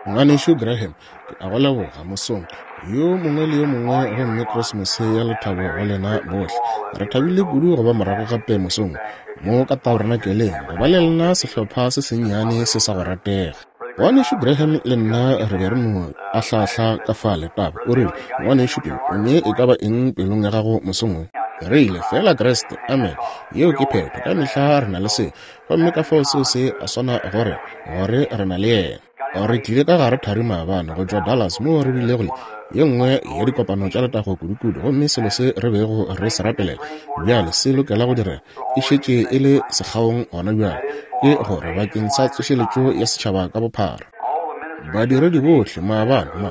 Ngwanešu Graham, ke a go leboga mosong yo mongwe le yo mongwe, gomme Krismose ya lethabo go lena bohle. Re thabile kudu go ba morago gape mosong mo ka tabernakeleng, go ba le lena sehlopha se sennyane se sa go ratega. Ngwanešu Graham le nna re be re no ahlaahla ka fale taba. O rile, Ngwanešu Bill, o ne e ka ba eng pelong ya gago mosong wo? Re ile, feela Kriste. Amen. Yeo ke phetho. Ka mehla re na le seo. Gomme ka fao seo se a swana gore, gore re na le Yena. Re tlile ka gare thari maabane go tšwa Dallas moo re bilego le ye nngwe ya dikopano tša letago kudukudu, gomme selo se re bego re se rapelela bjale se lokela go direga, e šetše e le sekgaong gona bjale, ke gore bakeng sa tsošeletšo ya setšhaba ka bophara. Badiredi bohle maabane, ma,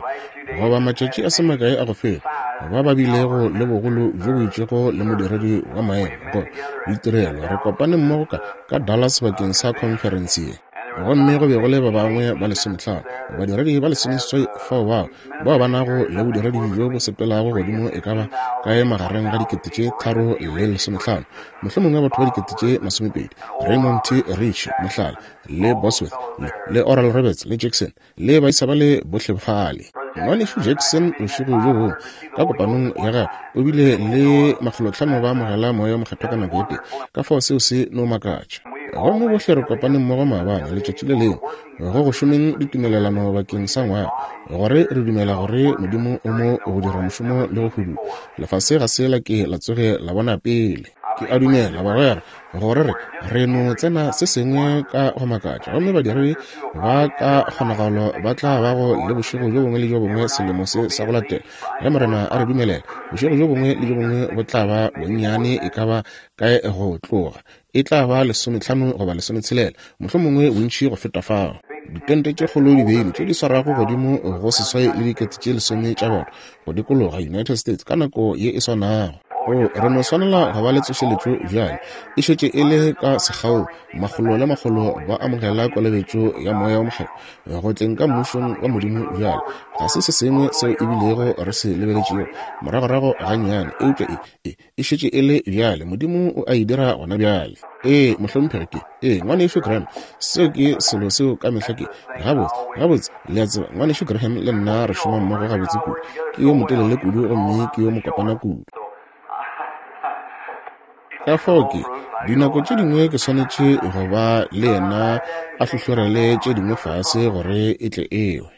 goba matšatši a se makae a go feta, ba ba bilego le bogolo bjo bo itšego le modiredi wa maemo go ditirelo, re kopane mmogo ka, ka Dallas bakeng sa khonferense ye. Gomme go be go le ba bangwe ba lesomehlano, badiredi ba lesomeseswai fao bao, bao ba nago le bodiredi bjo bo sepelago godimo e ka ba kae magareng ga dikete tše tharo le lesomehlano, mohlomongwe batho ba dikete tše masomepedi, Raymond T. Richey, mohlala, le Bosworth, le, le Oral Roberts, le Jackson, le baisa ba le bohle fale. Ngwanešu Jackson, bošego bjo bongwe, ka kopanong ya gagwe, o bile le makgolotlhano ba amogela Moya wo Mokgethwa ka nako e tee. Ka fao seo se no makatša. Gomme bohle re kopane mmogo maabane, letšatši le lengwe, go go šomeng ditumelelano bakeng sa ngwaga, gore re dumela gore Modimo o mo go dira mošomo le go hudua. Lefase ga se la ke la tsoge la bona pele. Ke a dumela, bagwera, gore re, re no tsena se sengwe ka go makatša, gomme badiredi ba ka kgonagalo ba tla bago le bošego bjo bongwe le bjo bongwe selemo se sa go latela, ge Morena a re dumelela. Bošego bjo bongwe le bjo bongwe bo tla ba bonnyane e ka ba kae go tloga, e tla ba lesometlhano goba lesometshelela, mohlomongwe bontši go feta fao. Ditente tše kgolo di beilwe tše di swarago godimo go seswai le dikete tše lesome tša batho go dikologa United States ka nako ye e swanago. O, re no swanela go ba le tsošeletšo bjale. E šetše e le ka sekgao, makgolo le makgolo ba amogela kolobetšo ya Moya wo Mokgethwa go tleng ka Mmušong wa Modimo bjale. Ga se se sengwe seo e bilego re se lebeletšego moragorago gannyane, eupša e, e, e šetše e le bjale. Modimo o a e dira gona bjale. Ee, mohlomphegi, ke. Ee, Ngwanešu Graham, seo ke selo seo ka mehla ke. Gabotse, gabotse, le a tseba, Ngwanešu Graham le nna re šoma mmogo gabotse kudu. Ke yo motelele kudu gomme ke yo mokopana kudu. Ka fao ke, dinako tše dingwe ke swanetše go ba le yena a hlohlorele tše dingwe fase gore e tle ewe.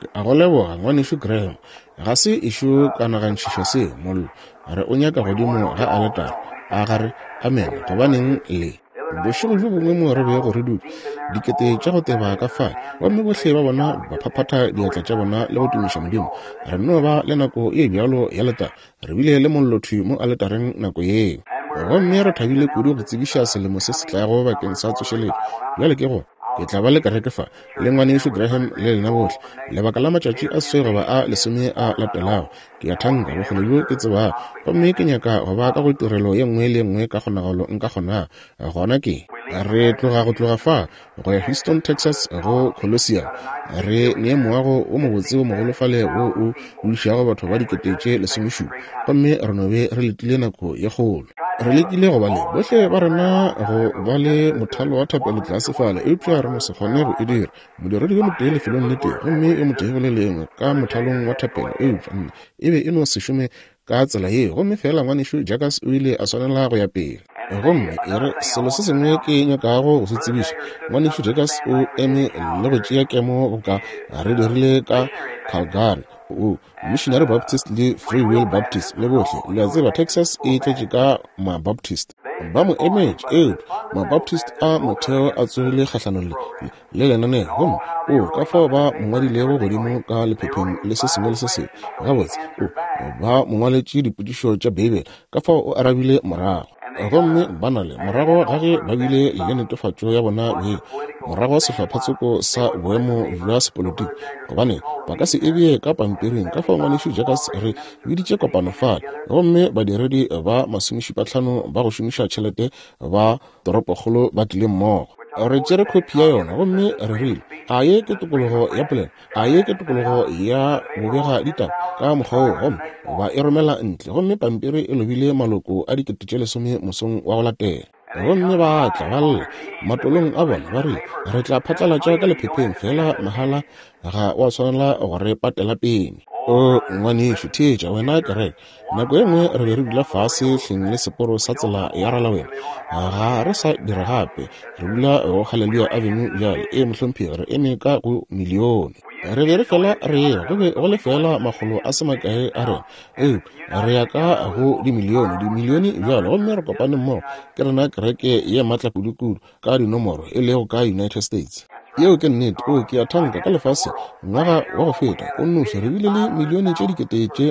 Ke a go leboga, Ngwanešu Graham. Ga se ešo ka nagantšhiša seo, mollo. Re o nyaka godimo ga aletara. A ga re? Amene. Gobaneng le. Bošego bjo bongwe mo re bego re dutše, dikete tša go teba ka fale, gomme bohle ba bona ba phaphatha diatla tša bona le go tumiša Modimo. Re nno ba le nako e bjalo ya letago. Re bile le mollo thwi mo aletareng nako yeo. Gomme re thabile kudu go tsebiša selemo se se tlago bakeng sa tsošeletšo. Bjale ke go, ke tla ba le kereke fa, le Ngwanešu Graham le lena bohle, lebaka la matšatši a seswai goba a lesome a latelago. Ke a thanka, bokgole bjo ke tsebago. Gomme ke nyaka go ba ka go tirelo ye nngwe le ye nngwe ka kgonagalo nka kgonago. Gona ke, re tloga go tloga fa, go ya Houston, Texas, go Coliseum. Re ne moago wo mobotse wo mogolo fale wo o dulišago batho ba dikete tše lesomešupa, gomme re no be re letile nako ye kgolo. Re lekile go ba le bohle ba rena go ba le mothalo wa thapelo tlase fale, eupša re no se kgone go e dira. Modiredi yo motee lefelong le tee, gomme yo motee go le lengwe ka mothalong wa thapelo, eupša nna e be e no se šome ka tsela yeo, gomme feela Ngwanešu Jacobs o ile a swanela go ya pele. Gomme e re, selo se sengwe ke nyakago go se tsebiša, Ngwanešu Jacobs o eme le go tšea kemo boka re dirile ka Calgary, o Missionary Baptist le Free Will Baptist le bohle. Le a tseba, Texas e tletše ka Mabaptist. Ba mo emetše, eupša Mabaptist a motheo a tsogile kgahlanong le, le lenaneo, gomme o ka fao ba mo ngwadilego godimo ka lephepheng le se sengwe le se sengwe. Gabotse, o, ba mo ngwaletše dipotšišo tša Beibele, ka fao o arabile morago. Gomme ba na le, morago ga ge ba bile le netefatšo ya bona beng, morago sehlophatsoko sa boemo bja sepolotiki, gobane ba ka se e bee ka pampiring. Ka fao Ngwanešu Jacobs re biditše kopano fale, gomme badiredi ba masomešupatlhano ba go šomiša tšhelete ba toropokgolo ba tlile mmogo. Re tšere khophi ya yona gomme re rile, A ye ke tokologo ya polelo? A ye ke tokologo ya bobega ditaba? Ka mokgwa woo, gomme ba e romela ntle, gomme pampiri e lobile maloko a dikete tše lesome mosong wa go latela. Gomme ba tla ba lla matolong a bona, ba rile, Re tla phatlalatša ka lephepheng, feela mahala ga wa swanela go re patela peni. O, ngwanešu, theetša, wena kereke. Nako ye nngwe re be re dula fase hleng le seporo sa tsela ya Ralawena. Ga re sa dira gape. Re dula go Hallelujah Avenue bjale. Ee, mohlomphegi, re eme ka go milione. Re be re fela re eya, go be go le feela makgolo a se makae a rena. Eupša re ya ka go dimilione, dimilione bjalo, gomme re kopane mmogo. Ke rena kereke ye maatla kudukudu ka dinomoro e lego ka United States. Yeo ke nnete. O, ke a thanka, ka lefaseng, ngwaga wa go feta, o nnoši, re bile le milione tše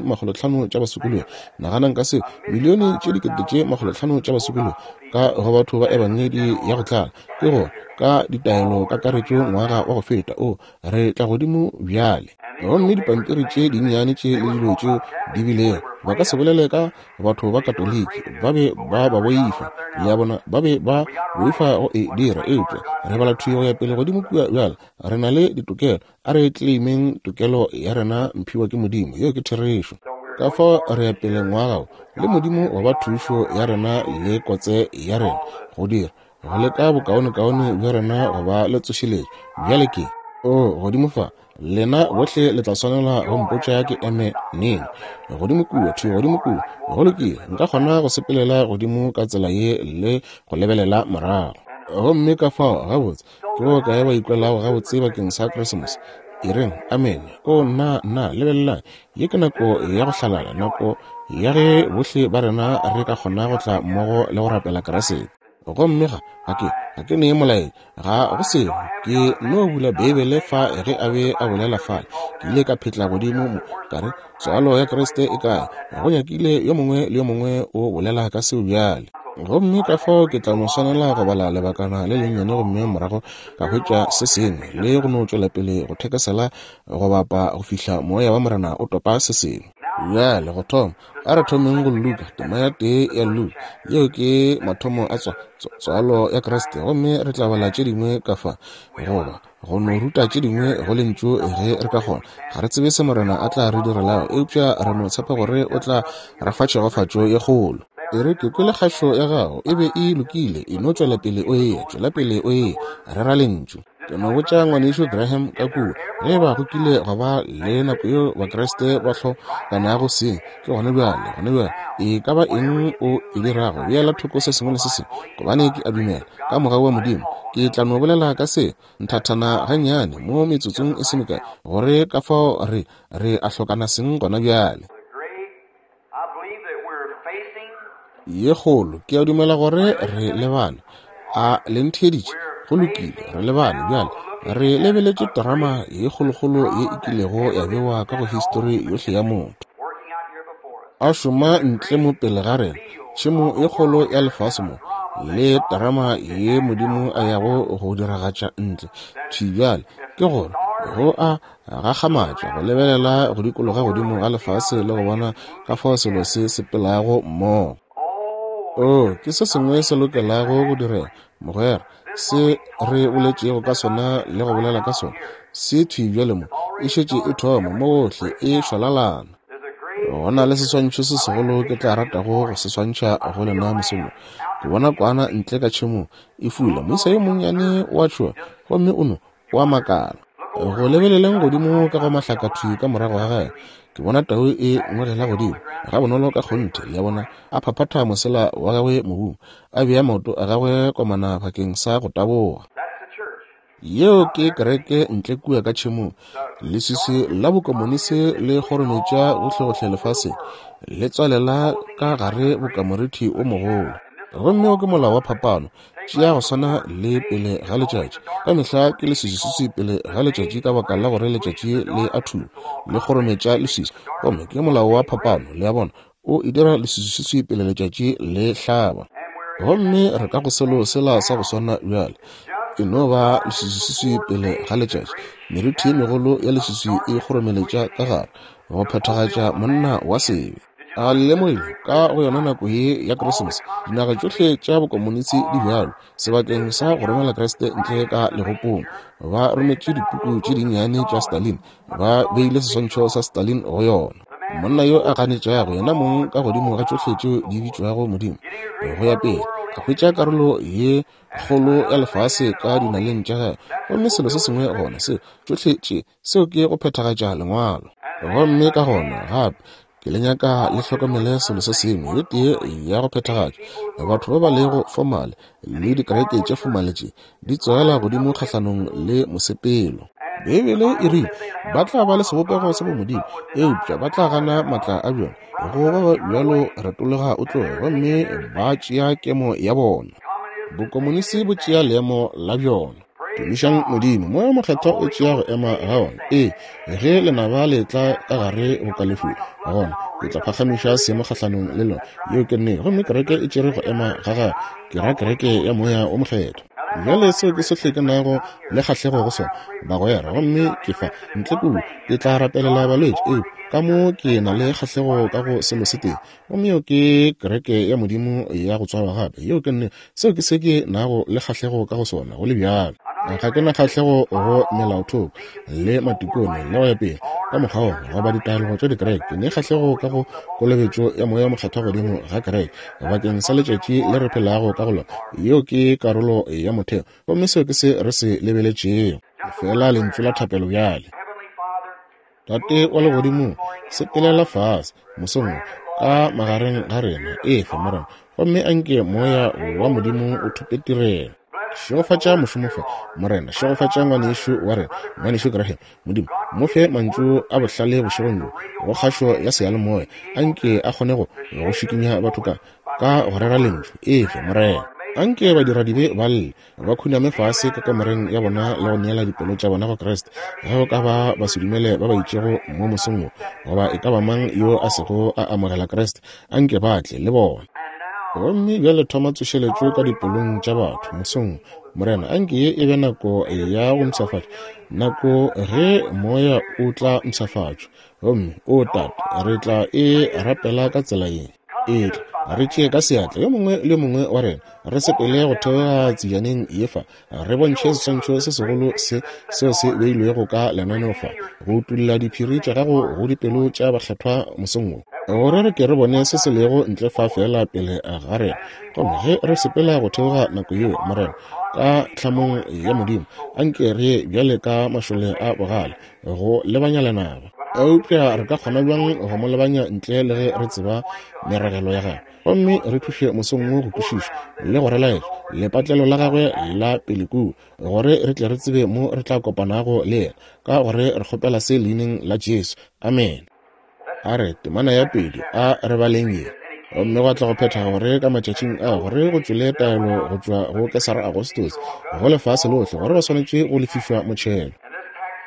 500,000 tša basokologi. Naganang ka seo, milione tše 500,000 tša basokologi ka go batho ba Ebangedi ya go tlala, ke gore, ka ditaelo kakaretšo ngwaga wa go feta. O, re tla godimo bjale. Gomme dipampiri tše dinnyane tše le dilo tšeo di bilego, ba ka se bolele ka batho ba Katoliki, ba be ba ba boifa, le a bona, ba be ba boifa go e dira. Eupša re bala thwi go ya pele godimo kua bjale, re na le ditokelo, a re claimeng tokelo ya rena mphiwa ke Modimo. Yeo ke therešo. Ka fao re ya pele ngwaga wo, le Modimo go ba thušo ya rena le kotse ya rena, go dira, go leka bokaonekaone bja rena go ba le tsošeletšo. Bjale ke, o, godimo fa, lena bohle le tla swanela go mpotša ke eme neng. Godimo kua, thwi godimo kua. Go lokile, nka kgona go sepelela godimo ka tsela ye le go lebelela morago. Gomme ka fao, gabotse, ke bokae ba ikwelago gabotse bakeng sa Krisemose? E reng, amene. O, nna, nna, lebelelang, ye ke nako ya go hlalala, nako ya ge bohle ba rena re ka kgona go tla mmogo le go rapela Kriste. Gomme ga, ga ke, ga ke nee molaetša, ga go selo. Ke no bula Beibele fa ge a be a bolela fale. Ke ile ka phetla godimo mo, ka re, Tswalo ya Kriste e kae? Go nyakile yo mongwe le yo mongwe o bolela ka seo bjale. Gomme ka fao ke tla no swanela go bala lebakana le lennyane gomme morago ka hwetša se sengwe, le go no tšwela pele go thekesela go bapa go fihla Moya wa Morena o topa se sengwe. Bjale, go thoma, A re thomeng go Luka, tema ya tee ya Luka. Yeo ke mathomo a tswa, tswalo ya Kriste. Gomme re tla bala tše dingwe ka fa, goba go no ruta tše dingwe go Lentšu ge re ka kgona. Ga re tsebe se Morena a tla re direlago, eupša re no tshepa gore o tla re fa tšhegofatšo ye kgolo. E re, ke kwele kgašo ya gago, e be e lokile, e no tšwela pele o eya, tšwela pele o eya, rera Lentšu. Ke no botša Ngwanešu Graham ka kua, ge eba go kile gwa ba le nako yeo Bakriste ba hlokanago seng, ke gona bjale, gona bjale. E ka ba eng o e dirago, beela thoko se sengwe le se sengwe, gobane ke a dumela, ka mogau wa Modimo, ke tla no bolela ka se nthathana gannyane mo metsotsong e se mekae, gore ka fao re, re a hlokana seng gona bjale. Ye kgolo, ke a dumela gore re lebane. A le ntheeditše? Go lokile, re lebane bjale. Re lebeletše terama ye kgolokgolo ye e kilego ya bewa ka go histori yohle ya motho. A šoma ntle mo pele ga rena, tšhemo ye kgolo ya lefase mo, le terama ye Modimo a yago go diragatša ntle thwi bjale. Ke gore, go a gakgamatša go lebelela go dikologa godimo ga lefase le go bona ka fao selo se sepelago mmogo. Oo, ke se sengwe se lokelago go direga, mogwera. Se re boletšego ka sona le go bolela ka sona, se thwi bjale mo. E šetše e thoma mo gohle, e šwalalana. Go na le seswantšho se segolo ke tla ratago go se swantšha go lena mosong wo. Ke bona kwana ntle ka tšhemong e fula. Moisa yo monnyane o a tšhoga gomme o no O a makala. Go lebeleleng godimo ka go mahlakathwi ka morago ga gagwe, ke bona tau e ngwegela godimo, gabonolo ka kgonthe, le a bona, a phaphatha mosela wa gagwe mobung, a bea maoto a gagwe komana bakeng sa go taboga. Yeo ke kereke ntle kua ka tšhemong. Leswiswi la bokomonisi le kgorometša gohlegohle lefaseng, le tswalela ka gare bokamorithi o mogolo. Gomme wo ke molao wa phapano, Tšea go swana le pele ga letšatši. Ka mehla ke leswiswiswi pele ga letšatši ka baka la gore letšatši le a thuma, le kgorometša leswiswi. Gomme ke molao wa phapano, le a bona, o e dira leswiswiswi pele letšatši le hlaba. Gomme re ka go selo sela sa go swana bjale. E no ba leswiswiswi pele ga letšatši. Merithi ye megolo ya leswiswi e kgoromeletša ka gare, go phethagatša monna wa sebe. A le lemogile ka go yona nako ye ya Krisemose, dinaga tšohle tša bokomonisi di bjalo, sebakeng sa go romela Kriste ntle ka legopong, ba rometše dipuku tše dinnyane tša Stalin, ba beile seswantšho sa Stalin go yona. Monna yo a ganetšago yena mong ka godimo ga tšohle tšeo di bitšwago Modimo, go ya pele. A hwetša karolo ye kgolo ya lefase ka dinaleng tša gagwe. Gomme selo se sengwe gona, seo, tšohle tše, seo ke go phethagatša Lengwalo. Gomme ka gona, gape, ke le nyaka le hlokomele selo se sengwe, ye tee ya go phethagatša. Batho ba ba lego fomale le dikereke tše fomale tše di tsogela godimo kgahlanong le mosepelo. Beibele e rile ba tla ba le sebopego sa bomodimo, eupša ba tla gana maatla a bjona. Go ba bjalo retologa o tloge, gomme ba tšea kemo ya bona. Bokomonisi bo tšea leemo la bjona. Tumišang Modimo, Moya wo Mokgethwa o tšea go ema ga ona. Ee, ge lenaba le tla ka gare go kalefula, gona ke tla phagamiša seemo kgahlanong le lona. Yeo ke nnete. Gomme kereke e tšere go ema ga gagwe, ke ra kereke ya Moya wo Mokgethwa. Bjale seo ke sohle ke nago le kgahlego go sona, bagwera. Gomme ke fa, ntle kudu, ke tla rapelela balwetši, eupša ka mo ke na le kgahlego ka go selo se tee, gomme yeo ke kereke ya Modimo ya go tswalwa gape. Yeo ke nnete. Seo ke se ke nago le kgahlego ka go sona, go le bjalo. Ga ke na kgahlego go melaothoko le matikone le go ya pele ka mokgwa wo, goba ditaelo tša dikereke. Ke ne kgahlego ka go kolobetšo ya Moya wo Mokgethwa godimo ga kereke bakeng sa letšatši le re phelago ka go lona. Yeo ke karolo ya motheo, gomme seo ke se re se lebeletšego. Feela lentšu la thapelo bjale. Tate wa Legodimong, sepelela fase mosong wo ka magareng ga rena, efa, Morena, gomme anke Moya wa Modimo o thope tirelo. Šegofatša mošomo fa, Morena. Šegofatša ngwanešu wa rena, Ngwanešu Graham. Modimo, mo fe mantšu a bohlale bošegong bjo, go kgašo ya seyalemoya. Anke a kgone go, go šikinya batho ka, ka go rera Lentšu. Efe, Morena. Anke badiradibe ba lle, ba khuname fase ka kamoreng ya bona le go neela dipelo tša bona go Kriste. Ge go ka ba basedumele ba ba itšego mo mosong wo, goba e ka ba mang yo a sego a amogela Kriste, anke ba tle le bona. Gomme bjale thoma tsošeletšo ka dipelong tša batho mosong wo. Morena, anke ye e be nako ya go mpshafatša, nako ge Moya o tla mpshafatšwa. Gomme, o Tate, re tla e rapela ka tsela ye. Etla, re tšee ka seatla yo mongwe le yo mongwe wa rena, re sepele go theoga tsejaneng ye fa, re bontšhe seswantšho se segolo se seo se beilwego ka lenaneo fa, go utolla diphiri tša gago go dipelo tša bakgethwa mosong wo, gore re ke re bone se se lego ntle fa feela pele ga rena. Gomme ge re sepela go theoga nako yeo, Morena, ka tlhamong ya Modimo, anke re ye bjale ka mašole a bogale, go lebanya lenaba. Eupša re ka kgona bjang go mo lebanya ntle le ge re tseba meragelo ya gagwe? Gomme re thuše mosong wo go kwešiša le go re laetša lepatlelo la gagwe la pele kua, gore re tle re tsebe mo re tla kopanago le yena, ka gore re kgopela se Leineng la Jesu. Amene. A re, temana ya pedi, a re baleng ye. Gomme gwa tla go phetha gore ka matšatšing a gore go tšwele taelo go tšwa go Kesara Agostose go lefase lohle gore ba swanetše go lefišwa motšhelo.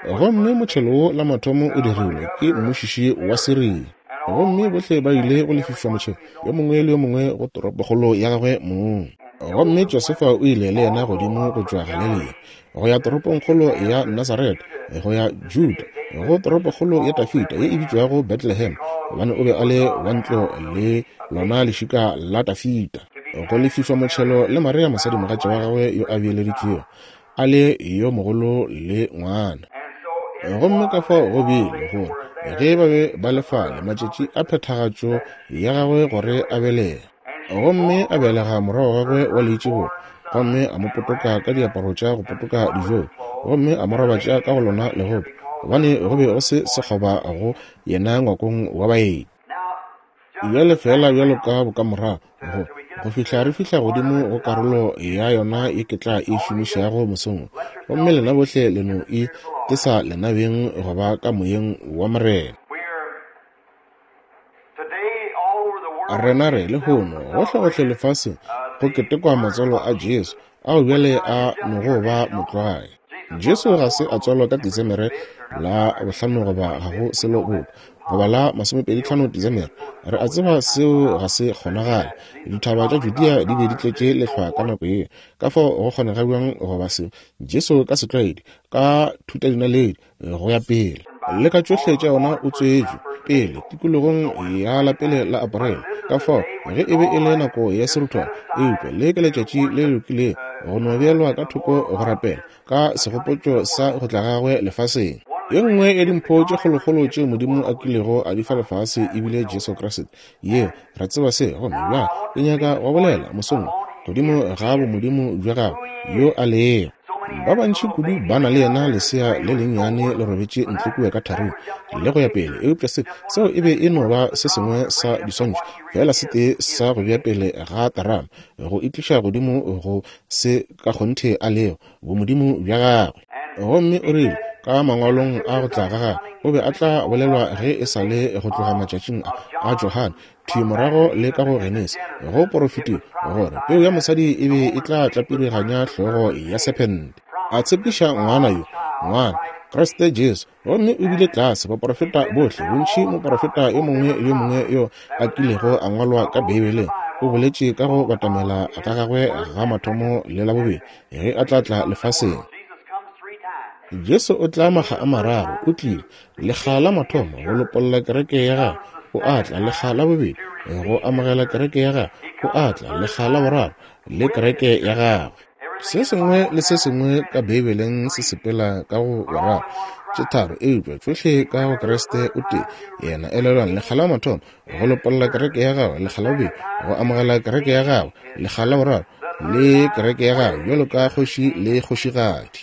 Gomme motšhelo wo la mathomo o dirilwe ke mmušiši wa Siria. Gomme bohle ba ile go lefišwa motšhelo, yo mongwe le yo mongwe go toropokgolo ya gagwe mong. Gomme Josefa o ile le yena godimo go tšwa Galelia go ya toropongkgolo ya Nasaretha, go ya Juda, go toropokgolo ya Dafida ye e bitšwago Bethlehem, gobane o be a le wa ntlo le lona lešika la Dafida. Go lefišwa motšhelo le Maria mosadimogatša wa gagwe yo a beeleditšwego, a le yo mogolo le ngwana. Gomme ka fao go bile gore ge ba be ba le fale matšatši a phethagatšo ya gagwe gore a belege, gomme a belega morwa wa gagwe wa leitšibulo, gomme a mo potoka ka diaparo tša go potoka dijo, gomme a mo robatša ka go lona legopo, gobane go be go se sekgoba go yena ngwakong wa baeti. Bjale feela bjalo ka bokamorago, go, go fihla re fihla godimo go karolo ya yona ye ke tla e šomišago mosong wo, gomme lena bohle le no e tesa lena beng go ba ka Moyeng wa Morena. Rena re, lehono, gohlegohle lefaseng, go ketekwa matswalo a Jesu, ao bjale a nogo ba motlwae. Jesu ga se a tswalwa ka Desemere la bohlano goba ga go selo boka, goba la masomepeditlhano Desemere. Re a tseba seo ga se kgonagale. Dithaba tša Judea di be di tletše lehlwa ka nako yeo. Ka fao go kgonega bjang goba seo? Jesu ka setlwaedi, ka thutadinaledi, go ya pele le ka tšohle tša yona o tswetšwe pele tikologong ya la pele la Aporele. Ka fao ge e be e le nako ya seruthwana, eupša le ke letšatši le lokilego go no beelwa ka thoko go rapela ka segopotšo sa go tla gagwe lefaseng. Ye nngwe ya dimpho tše kgolokgolo tšeo Modimo a kilego a di fa lefase e bile Jesu Kriste. Yeo, re tseba se, gomme bjale ke nyaka go bolela mosong wo. godimo ga bomodimo bja gagwe yo a lego. Ba bantši kudu ba na le yena lesea le lennyane le robetše ntle kua ka tharing le go ya pele, eupša se, seo e be e no ba se sengwe sa diswantšho feela se tee sa go bea pele ga terama, go e tliša godimo go se ka kgonthe a lego, bomodimo bja gagwe. Gomme o rile, ka mangwalong a go tla ga gagwe, o be a tla bolelwa ge e sa le go tloga matšatšing a, a Johane, thwi morago le ka go Genesi, go porofetiwe gore peu ya mosadi e be e tla tlapiriganya hlogo ya sephente. A tshepiša ngwana yo, ngwana, Kriste Jesu. Gomme o bile tlase, baporofeta bohle, bontši moporofeta yo mongwe le yo mongwe yo a kilego a ngwalwa ka Beibeleng, o boletše ka go batamela ga gagwe ga mathomo le la bobedi, ge a tla tla lefaseng. Jesu o tla makga a mararo, o tlile, lekga la mathomo go lopolla kereke ya gagwe, o a tla lekga la bobedi go amogela kereke ya gagwe, o a tla lekga la boraro le kereke ya gagwe. Se sengwe le se sengwe ka Beibeleng se sepela ka go boraro, tše tharo, eupša tšohle ka go Kriste o tee. Yena, elelwang, lekga la mathomo go lopolla kereke ya gagwe, lekga la bobedi go amogela kereke ya gagwe, lekga la boraro le kereke ya gagwe bjalo ka kgoši le kgošigadi.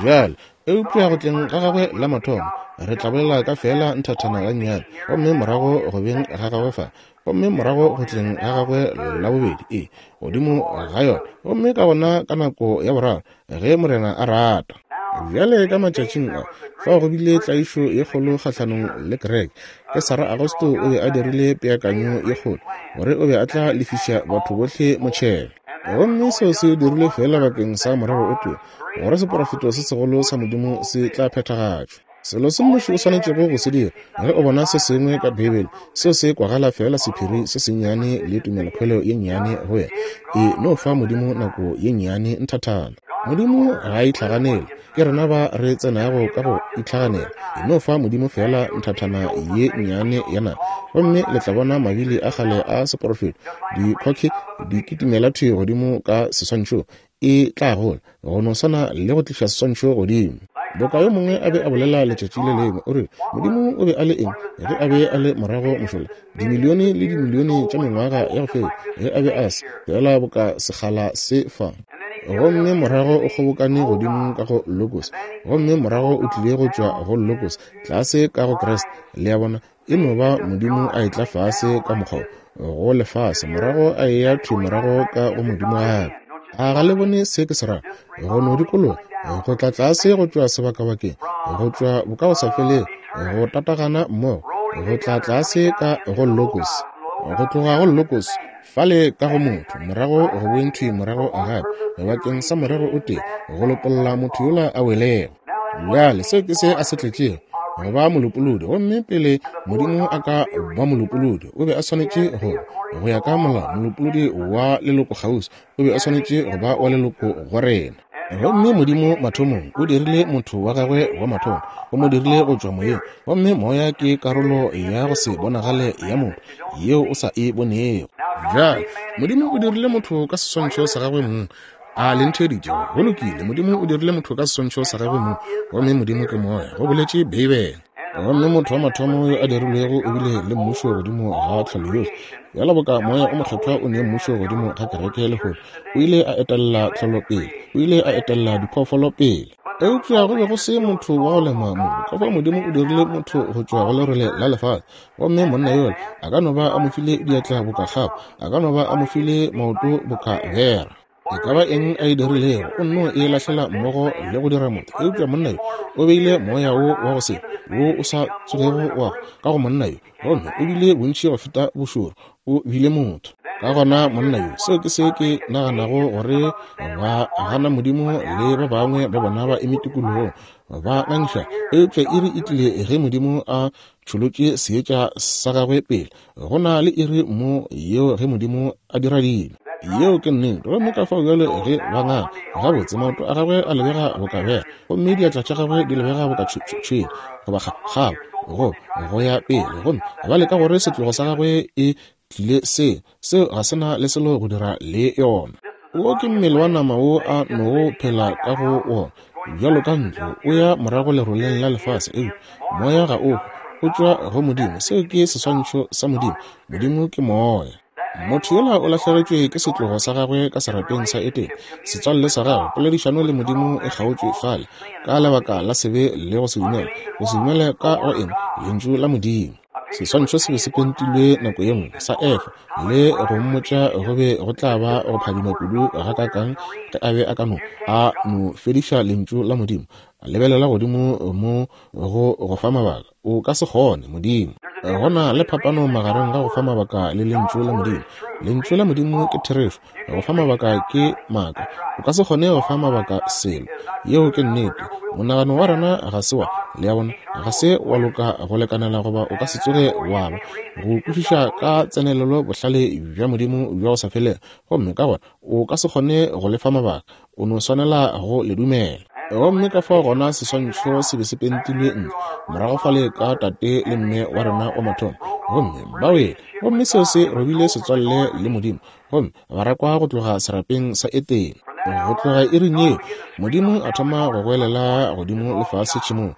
Bjale, eupša go tleng ga gagwe la mathomo, re tla bolela ka feela nthathana gannyane, gomme morago go beng ga gagwe fa, gomme morago go tleng ga gagwe la bobedi, ee, godimo ga yona, gomme ka gona ka nako ya boraro, ge Morena a rata. Bjale ka matšatšing a, fao go bile tlaišo ye kgolo kgahlanong le kereke. Kesara Augusto o be a dirile peakanyo ye kgolo gore o be a tla lefiša batho bohle motšhelo. Gomme seo se dirilwe feela bakeng sa morero o tee, gore seporofeto se segolo sa Modimo se tla phethagatšwa. Selo se nnoši o swanetšego go se dira ge o bona se sengwe ka Beibele seo se kwagala feela sephiri se sennyane le tumelokhwelo ye nnyane go wena, e no fa Modimo nako ye nnyane nthathana. Modimo ga a itlhaganele, ke rena ba re tsenago ka go itlhaganela. E no fa Modimo feela nthathana ye nnyane ya nako, gomme le tla bona mabili a kgale a seporofeto, dikhokhi di kitimela thwi godimo ka seswantšhong, e tla gola go no swana le go tliša seswantšho godimo. Boka yo mongwe a be a bolela letšatši le lengwe, o rile, Modimo o be a le eng ge a be a le morago mošola, dimilione le dimilione tša mengwaga ya go feta, ge a be a se feela boka sekgala se fa? Gomme morago o kgobokane godimo ka go Logos, gomme morago o tlile go tšwa go Logos, tlase ka go Kriste. Le a bona, E no ba Modimo a etla fase ka mokgwa wo, go lefase, morago a eya thwi morago ka go Modimo gape. A ga le bone se ke se rago? Go no dikologa, go tla tlase go tšwa sebakabakeng, go tšwa bokagosafelego, go tatagana mmogo, go tla tlase ka go Logos, go tloga go Logos, fale ka go motho, morago go boeng thwi morago gape, bakeng sa morero o tee, go lopolla motho yola a welego. Bjale, seo ke se a se tletšego, go ba molopolodi. Gomme pele Modimo a ka ba molopolodi, o be a swanetše go, go ya ka molao, molopolodi wa leloko kgauswi, o be a swanetše go ba wa leloko go rena. Gomme Modimo mathomong o dirile motho wa gagwe wa mathomo, o mo dirile go tšwa moyeng, gomme moya ke karolo ya go se bonagale ya motho yeo o sa e bonego. Bjale, Modimo o dirile motho ka seswantšho sa gagwe mong. A le ntheeditše? Go lokile. Modimo o dirile motho ka seswantšho sa gagwe mong, gomme Modimo ke moya, go boletše Beibele. Gomme motho wa mathomo yo a dirilwego o bile le mmušo godimo ga tlholo yohle. Bjalo boka Moya o Mokgethwa o ne mmušo godimo ga kereke lehono, o ile a etelela tlholo pele, o ile a etelela diphoofolo pele. Eupša go be go se motho wa go lema mobu, ka fao Modimo o dirile motho go tšwa go lerole la lefase. Gomme monna yola a ka no ba a mo file diatla boka kgabo, a ka no ba a mo file maoto boka bera. E ka ba eng a e dirilego, o nno e lahlela mmogo le go dira motho. Eupša monna yo o beile moya wo wa go se wo o sa tsogego wa ka go monna yo, gomme o bile bontši go feta bošoro, o bile motho. Ka gona monna yo, seo ke se ke naganago gore ba gana Modimo le ba bangwe ba bona ba eme tikologong ba ngangiša, eupša iri e tlile ge Modimo a tšholotše seetša sa gagwe pele. Go na le iri mo yeo ge Modimo a dira dilo. Yeo ke nnete. Gomme ka fao bjale ge ba nganga, gabotse, maoto a gagwe a lebega boka bera, gomme diatla tša gagwe di lebega boka tšhwene, goba kgabo, go, go ya pele. Gomme ba leka gore setlogo sa gagwe e tlile se, seo ga se na le selo go dira le yona. Wo ke mmele wa nama wo a nogo phela ka go wona, bjalo ka ntlo, o ya morago leroleng la lefase, eupša moya ga o hwe, o tšwa go Modimo. Seo ke seswantšho sa Modimo. Modimo ke moya. Motho yola o lahlegetšwe ke setlogo sa gagwe ka serapeng sa Edene. Setswalle sa gagwe, poledišano le Modimo e kgaotšwe fale, ka lebaka la sebe le go se dumele. Go se dumele ka go eng? Lentšu la Modimo. Seswantšho se be se pentilwe nako ye nngwe, sa Efa, le go mmotša go be go tla ba go phadima kudu gakaakang ge a be a ka no, a no fediša Lentšu la Modimo. A lebelela godimo mo go go fa mabaka. O ka se kgone, Modimo. Go na le phapano magareng ga go fa mabaka le Lentšu la Modimo. Lentšu la Modimo ke therešo. Go fa mabaka ke maaka. O ka se kgone go fa mabaka selo. Yeo ke nnete. Monagano wa rena ga se wa, le a bona, ga se wa loka go lekanela goba o ka se tsoge wa ba, go kwešiša ka tsenelelo bohlale bja Modimo bja go sa felego. Gomme ka gona o ka se kgone go le fa mabaka. O no swanela go le dumela. Gomme ka fao gona seswantšho se be se pentilwe ntle morago fale ka tate le mme wa rena wa mathomo, gomme ba wele, gomme seo se robile setswalle le Modimo, gomme ba rakwa go tloga serapeng sa Etene. Go tloga iring yeo, Modimo a thoma go goelela godimo le fase tšhemong,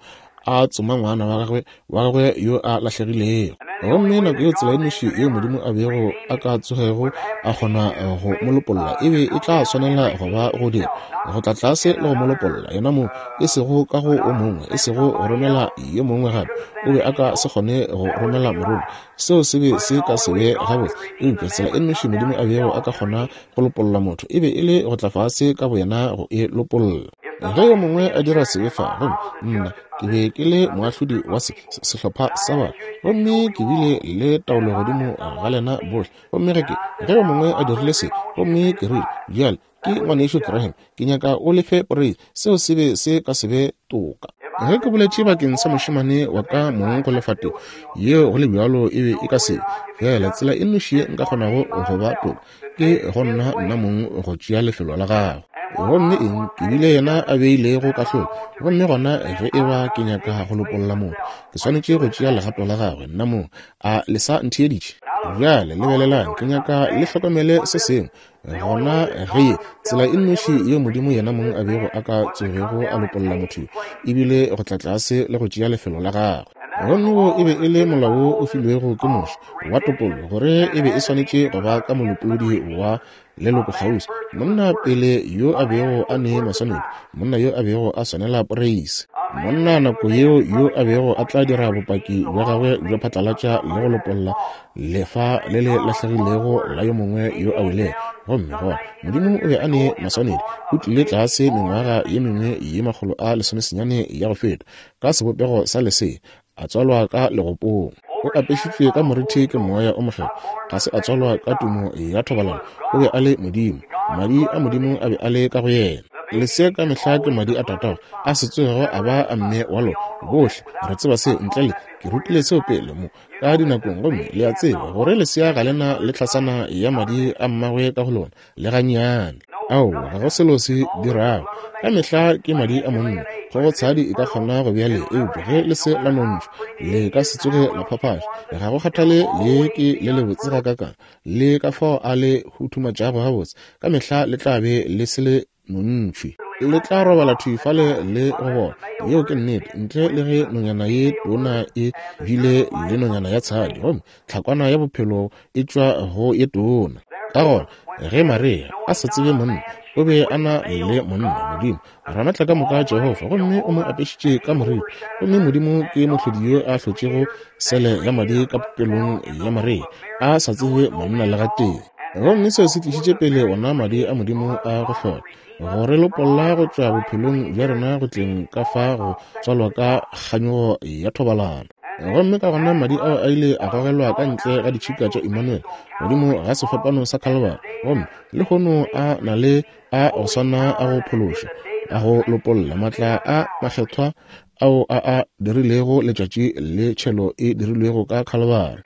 a tsoma ngwana wa gagwe, wa gagwe yo a lahlegilego. Gomme nako yeo tsela e nnoši yeo Modimo a bego a ka tsogego a kgona go mo lopolla e be e tla swanela go ba go dira go tla tlase le go mo lopolla yena mong, e sego ka go o mongwe, e sego go romela yo mongwe gape. O be a ka se kgone go romela morongwa, seo se be se ka se be gabotse. Eupša tsela e nnoši Modimo a bego a ka kgona go lopolla motho e be e le go tla fase ka boyena go e lopolla. Ge yo mongwe a dira sebe fa, gomme nna ke be ke le moahlodi wa se, se, sehlopha sa batho, gomme ke bile le taolo godimo ga lena bohle, gomme ge ke, ge yo mongwe a dirile se, gomme ke rile, Bjale, ke ngwanešu Graham, ke nyaka o lefe poreisi, seo se be se ka se be toka. Ge ke boletše bakeng sa mošemane wa ka mong go lefa tefo yeo, go le bjalo e be e ka se fela. Tsela e nnoši ye nka kgonago go ba toka ke go nna nna mong go tšea lefelo la gago. Gomme eng, ke bile yena a beilego kahlolo, gomme gona ge e ba ke nyaka go lopolla motho, ke swanetše go tšea legato la gagwe nna mong. A le sa ntheeditše? Bjale lebelelang, ke nyaka le hlokomele se sengwe. Gona ge ye tsela e nnoši yeo Modimo yena mong a bego a ka tsogego a lopolla motho yo, e bile go tla tlase le go tšea lefelo la gagwe. Gomme wo e be e le molao wo o filwego ke Moshe wa topollo, gore e be e swanetše go ba ka molopolodi wa leloko kgauswi, monna pele yo a bego a ne maswanedi, monna yo a bego a swanela poreisi, monna nako yeo yo a bego a tla dira bopaki bja gagwe bja phatlalatša le go lopolla lefa le le lahlegilego la yo mongwe yo a welego. Gomme gona Modimo o be a ne maswanedi, o tlile tlase mengwaga ye mengwe ye 119 ya go feta, ka sebopego sa lesea, a tswalwa ka legopong. O apešitšwe ka morithi ke Moya o Mokgethwa, ga se a tswalwa ka tumo ya thobalano, o be a le Modimo, Madi a Modimo a be a le ka go yena. Lesea ka mehla ke madi a tatago, a se tsogego a ba a mme wa lona. Bohle re tseba seo, ntle le ke rutile seo pele mo ka dinakong, gomme le a tseba gore lesea ga le na le tlhasana ya madi a mmagwe ka go lona le gannyane. Aowa, ga go selo se dirago. Ka mehla ke madi a monna. Kgogotshadi e ka kgona go bea le, eupša ge le se la nontšhwa, le ka se tsoge la phaphaša. Ga go kgathale le ke le lebotse gakakang, le ka fao a le huthumatšago gabotse, ka mehla le tla be le se le nontšhwi. Le tla robala thwi fale le go bona. Yeo ke nnete, ntle le ge nonyana ye tona e bile le nonyana ya tshadi, gomme tlhakwana ya bophelo e tšwa go ye tona. Ka gona, ge Maria a sa tsebe monna, o be a na le monna, Modimo, Ramatla ka moka Jehofa, gomme o mo apešitše ka moriri. Gomme Modimo ke mohlodi yo a hlotšego sele ya madi ka popelong ya Maria, a sa tsebe monna le gatee. Gomme seo se tlišitše pele ona madi a Modimo a go hlola, go re lopolla go tšwa bophelong bja rena go tleng ka fa go tswalwa ka kganyogo ya thobalano. Gomme ka gona madi ao a ile a gogelwa ka ntle ga ditšhika tša Emmanuel, godimo ga sefapano sa Calvary, gomme lehono a na le a go swana a go phološa, a go lopolla, matla a makgethwa ao a a dirilego letšatši le tšhelo e dirilwego ka Calvary.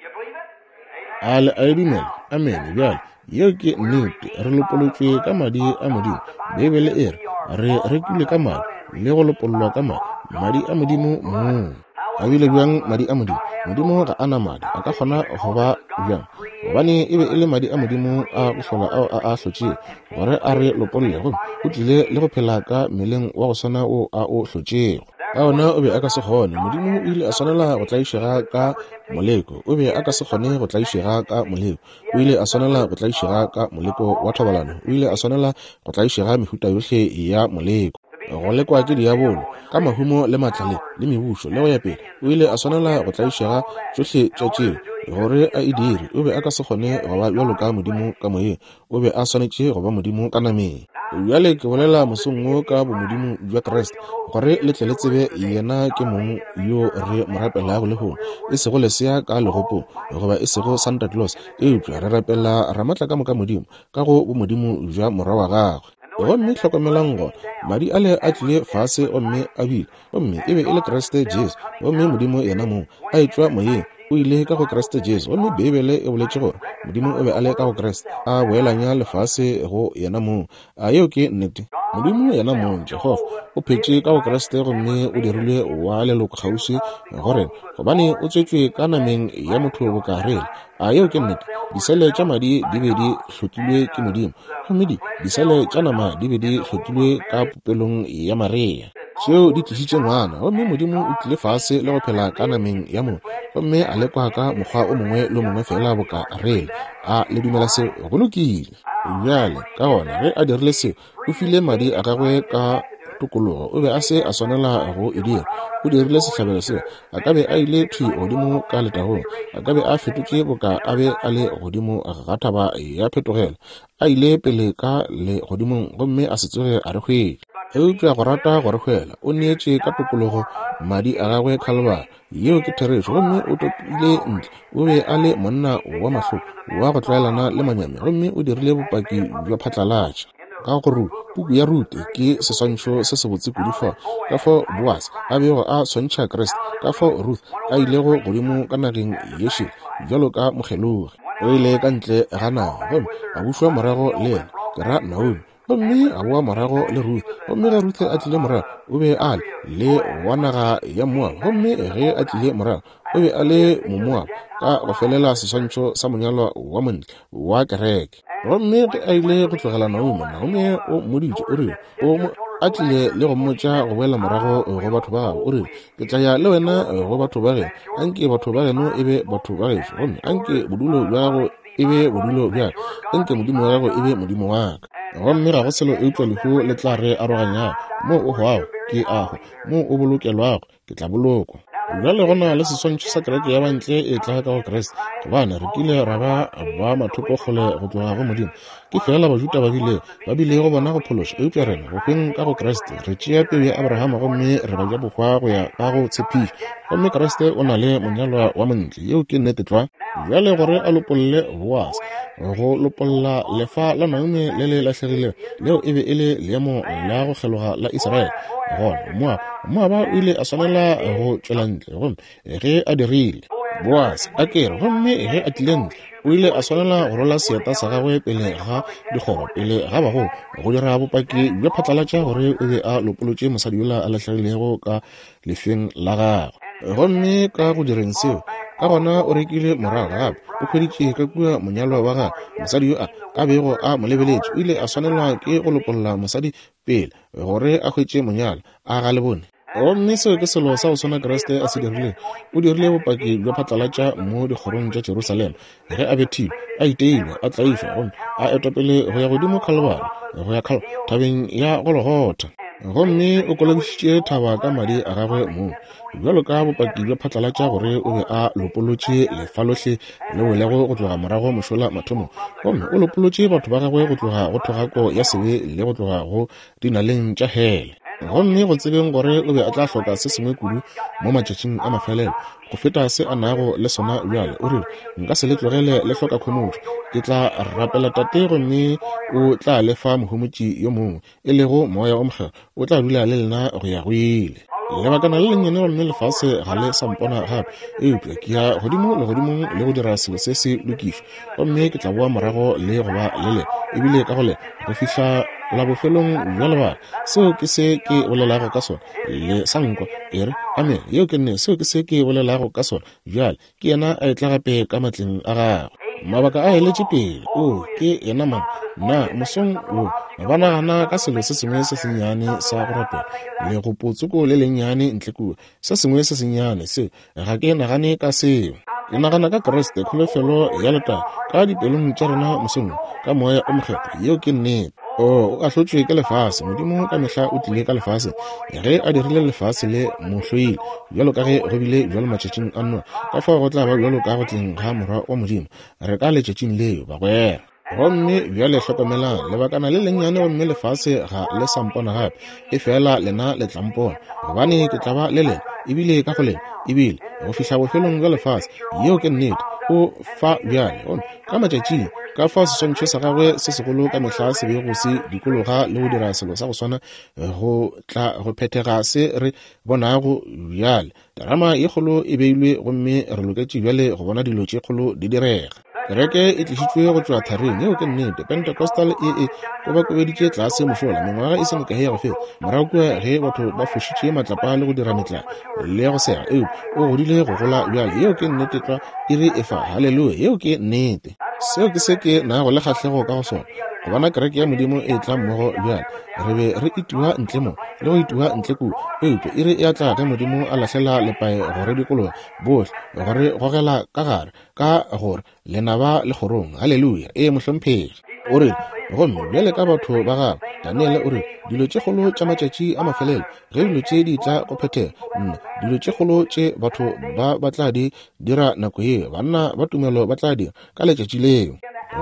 A le a e dumela? Amene. Bjale, yeo ke nnete. Re lopolotšwe ka madi a Modimo. Beibele e re re rekilwe ka madi le go lopollwa ka madi, madi a Modimo mong. A bile bjang madi a Modimo? Modimo ga a na madi. A ka kgona go ba bjang? Gobane e be e le madi a Modimo a go hlola ao a a hlotšego gore a re lopolle, gomme o tlile le go phela ka mmeleng wa go swana wo a o hlotšego. Ka gona o be a ka se kgone. Modimo o ile a swanela go tlaišega ka moleko. O be a ka se kgone go tlaišega ka moleko. O ile a swanela go tlaišega ka moleko wa thobalano. O ile a swanela go tlaišega mehuta yohle ya moleko. Go lekwa ke diabolo, ka mahumo le maatla le, le mebušo, le go ya pele. O ile a swanela go tlaišega tšohle tša tšeo, gore a e dire. O be a ka se kgone go ba bjalo ka Modimo ka moyeng. O be a swanetše go ba Modimo ka nameng. Bjale ke bolela mosong wo ka bomodimo bja Kriste, gore le tle le tsebe yena ke mong yo re mo rapelago lehono, e sego lesea ka legopong, goba e sego Santa Claus, eupša re rapela Ramatlakamoka Modimo ka go bomodimo bja Morwa wa gagwe. Gomme hlokomelang gona, madi ale a tlile fase gomme a bile, gomme e be e le Kriste Jesu, gomme Modimo yena mong, a etšwa moyeng, o ile ka go Kriste Jesu. Gomme Beibele e boletše gore Modimo o be a le ka go Kriste, a boelanya lefase go yena mong. A yeo ke nnete? Modimo yena mong, Jehofa, o phetše ka go Kriste gomme o dirilwe wa leloko kgauswi go rena, gobane o tswetšwe ka nameng ya motho boka re le. A yeo ke nnete? Disele tša madi di be di hlokilwe ke Modimo, gomme di disele tša nama di be di hlokilwe ka popelong ya Maria. Tšeo di tlišitše ngwana, gomme Modimo o tlile fase le go phela ka nameng ya motho, gomme a lekwa ka mokgwa o mongwe le o mongwe feela boka re le. A le dumela seo? Go lokile. Bjale, ka gona, ge a dirile seo, o file madi a gagwe ka tokologo. O be a se a swanela go e dira. O dirile sehlabelo seo. A ka be a ile thwi godimo ka letagong. A ka be a fetotše boka a be a le godimo ga thaba ya phetogelo. A ile pele ka legodimong gomme a se tsoge a re hwetša. Eupša go rata go re hwela, o neetše ka tokologo madi a gagwe Khalibari. Yeo ke therešo. Gomme o topile ntle. O be a le monna wa mahloko, wa go tlwaelana le manyami, gomme o dirile bopaki bja phatlalatša. Ka go puku ya Rute ke seswantšho se sebotse kudu fao, ka fao Boase a bego a swantšha Kriste, ka fao Ruth a ilego godimo ka nageng ye šele bjalo ka mokgelogi. O ile ka ntle ga naga gomme a bušwa morago le yena, ke ra Naomi, gomme a boa morago le Ruth. Gomme ge Ruth a tlile morago, o be a le le wa naga ya Moab. Gomme ge a tlile morago, o be a le Momoab, ka go felela seswantšho sa monyalwa wa montle wa kereke. Gomme ge a ile go tlogela Naomi, Naomi o mmoditše, o rile, o mo a tlile le go mmotša go boela morago go batho ba gabo, o rile, ke tla ya le wena go batho ba geno, anke batho ba geno e be batho ba gešo, gomme anke bodulo bja gago e be bodulo bja ka, anke Modimo wa gago e be Modimo wa ka. Gomme ga go selo eupša lehu le tla re aroganyago. Moo o hwago, ke a hwa. Moo o bolokelwago, ke tla bolokwa. Bjale go na le seswantšho sa kereke ya bantle e tla ka go Kriste, gobane re kile ra ba ba mathoko kgole go tloga go Modimo. Ke feela Bajuda ba bile ba bilego bona go phološa, eupša rena go hweng ka go Kriste re tšea peu ya Abrahama gomme re ba ja bohwa go ya ka go tshepišo. Gomme Kriste o na le monyalwa wa montle. Yeo ke nnete tlwa. Bjale gore a lopolle Boase, go lopolla lefa la Naomi le le lahlegilego, leo e be e le leemo la go kgeloga la Israele. Gona Moaba, Moaba o ile a swanela go tšwela ntle, gomme ge a dirile, Boase a kere, gomme ge a tlile ntle, o ile a swanela go rola seeta sa gagwe pele ga dikgoro, pele ga bagolo, go dira bopaki bja phatlalatša gore o be a lopolotše mosadi yola a lahlegilego ka lefeng la gagwe. Gomme ka go direng seo, ka gona o rekile morago gape, o hweditše ka kua monyalwa wa gagwe, mosadi yo a a bego a mo lebeletše. O ile a swanelwa ke go lopolla mosadi pele gore a hwetše monyalwa. A ga le bone? Gomme seo ke selo sa go swana Kriste a se dirilego. O dirile bopaki bja phatlalatša mo dikgorong tša Jerusalema ge a bethilwe, a iteilwe, a tlaišwa, gomme a etwa pele go ya godimo Khalibari, go ya Khal thabeng ya Gologotha. Gomme o kolobišitše thaba ka madi a gagwe mong, bjalo ka bopaki bja phatlalatša gore o be a lopolotše lefa lohle le welego go tloga morago mošola mathomong, gomme o lopolotše batho ba gagwe go tloga go thogako ya sebe le go tloga go dinaleng tša hele. Gomme go tsebeng gore o be a tla hloka se sengwe kudu mo matšatšing a mafelelo go feta se a nago le sona bjale, o rile, Nka se le tlogele le hloka khomotšo. Ke tla rapela Tate gomme o tla le fa Mohomotši yo mongwe, e lego Moya o Mokgethwa, o tla dula le lena go ya go ile. Lebakana le lennyane gomme lefase ga le sa mpona gape, eupša ke ya godimo legodimong le go dira selo se se lokišwa, gomme ke tla boa morago le go ba le lena, ebile ka go lena, go fihla la bofelong bja lebaka. Seo ke se ke bolelago ka sona. Le sa nkwa? E re, Amene. Yeo ke nne. Seo ke se ke bolelago ka sona. Bjale, ke yena a etla gape ka matleng a gagwe. Mabaka a eletše pele. O, ke yena mang? Na mosong wo ba nagana ka selo se sengwe se sennyane sa go rapela, legopotsoko le lennyane ntle kua, se sengwe se sennyane seo? Ga ke nagane ka seo. Ke nagana ka Kriste, kholofelo ya letago ka dipelong tša rena mosong wo, ka Moya o Mokgethwa. Yeo ke nnete. O, o ahlotšwe ke lefase. Modimo ka mehla o tlile ka lefaseng. Ge A dirile lefase le mo hloile, bjalo ka ge go bile bjalo matšatšing a Noa, ka fao go tla ba bjalo ka go tleng ga Morwa wa Modimo. Re ka letšatšing leo, bagwera. Gomme bjale hlokomelang, lebakana le lennyane gomme lefase ga le sa mpona gape, efela lena le tla mpona, gobane ke tla ba le lena, ebile ka go lena, ebile go fihla bofelong bja lefase. Yeo ke nnete. O fa bjale. Gomme ka matšatšing, ka fao seswantšho sa gagwe se segolo ka mehla se bego se dikologa le go dira selo sa go swana go tla go phethega se re bonago bjale. Terama ye kgolo e beilwe gomme re loketše bjale go bona dilo tše kgolo di direga. Kereke e tlišitšwe go tšwa tharing, yeo ke nnete. Pentecostal e e kobakobeditše tlase mošola mengwaga e se mekae ya go feta, morago kua ge batho ba fošitše matlapa le go dira metlae le go sega, eupša o godile go gola bjale. Yeo ke nnete tlwa, iri e fa. Haleluya! Yeo ke nnete. Seo ke se ke nago le kgahlego ka go sona, go bona kereke ya Modimo e etla mmogo bjale. Re be re itiwa ntle mo le go itiwa ntle kua, eupša iri e a tla ge Modimo a lahlela lepae go re dikologa bohle, go re gogela ka gare, ka gore lenaba le kgorong. Haleluya! Ee, mohlomphegi. O rile, Gomme bjale ka batho ba gagwe, Daniele o rile, dilo tše kgolo tša matšatši a mafelelo, ge dilo tše di tla go phethega, nna, dilo tše kgolo tše batho ba ba tla di dira nako yeo, banna ba tumelo ba tla dira ka letšatši leo.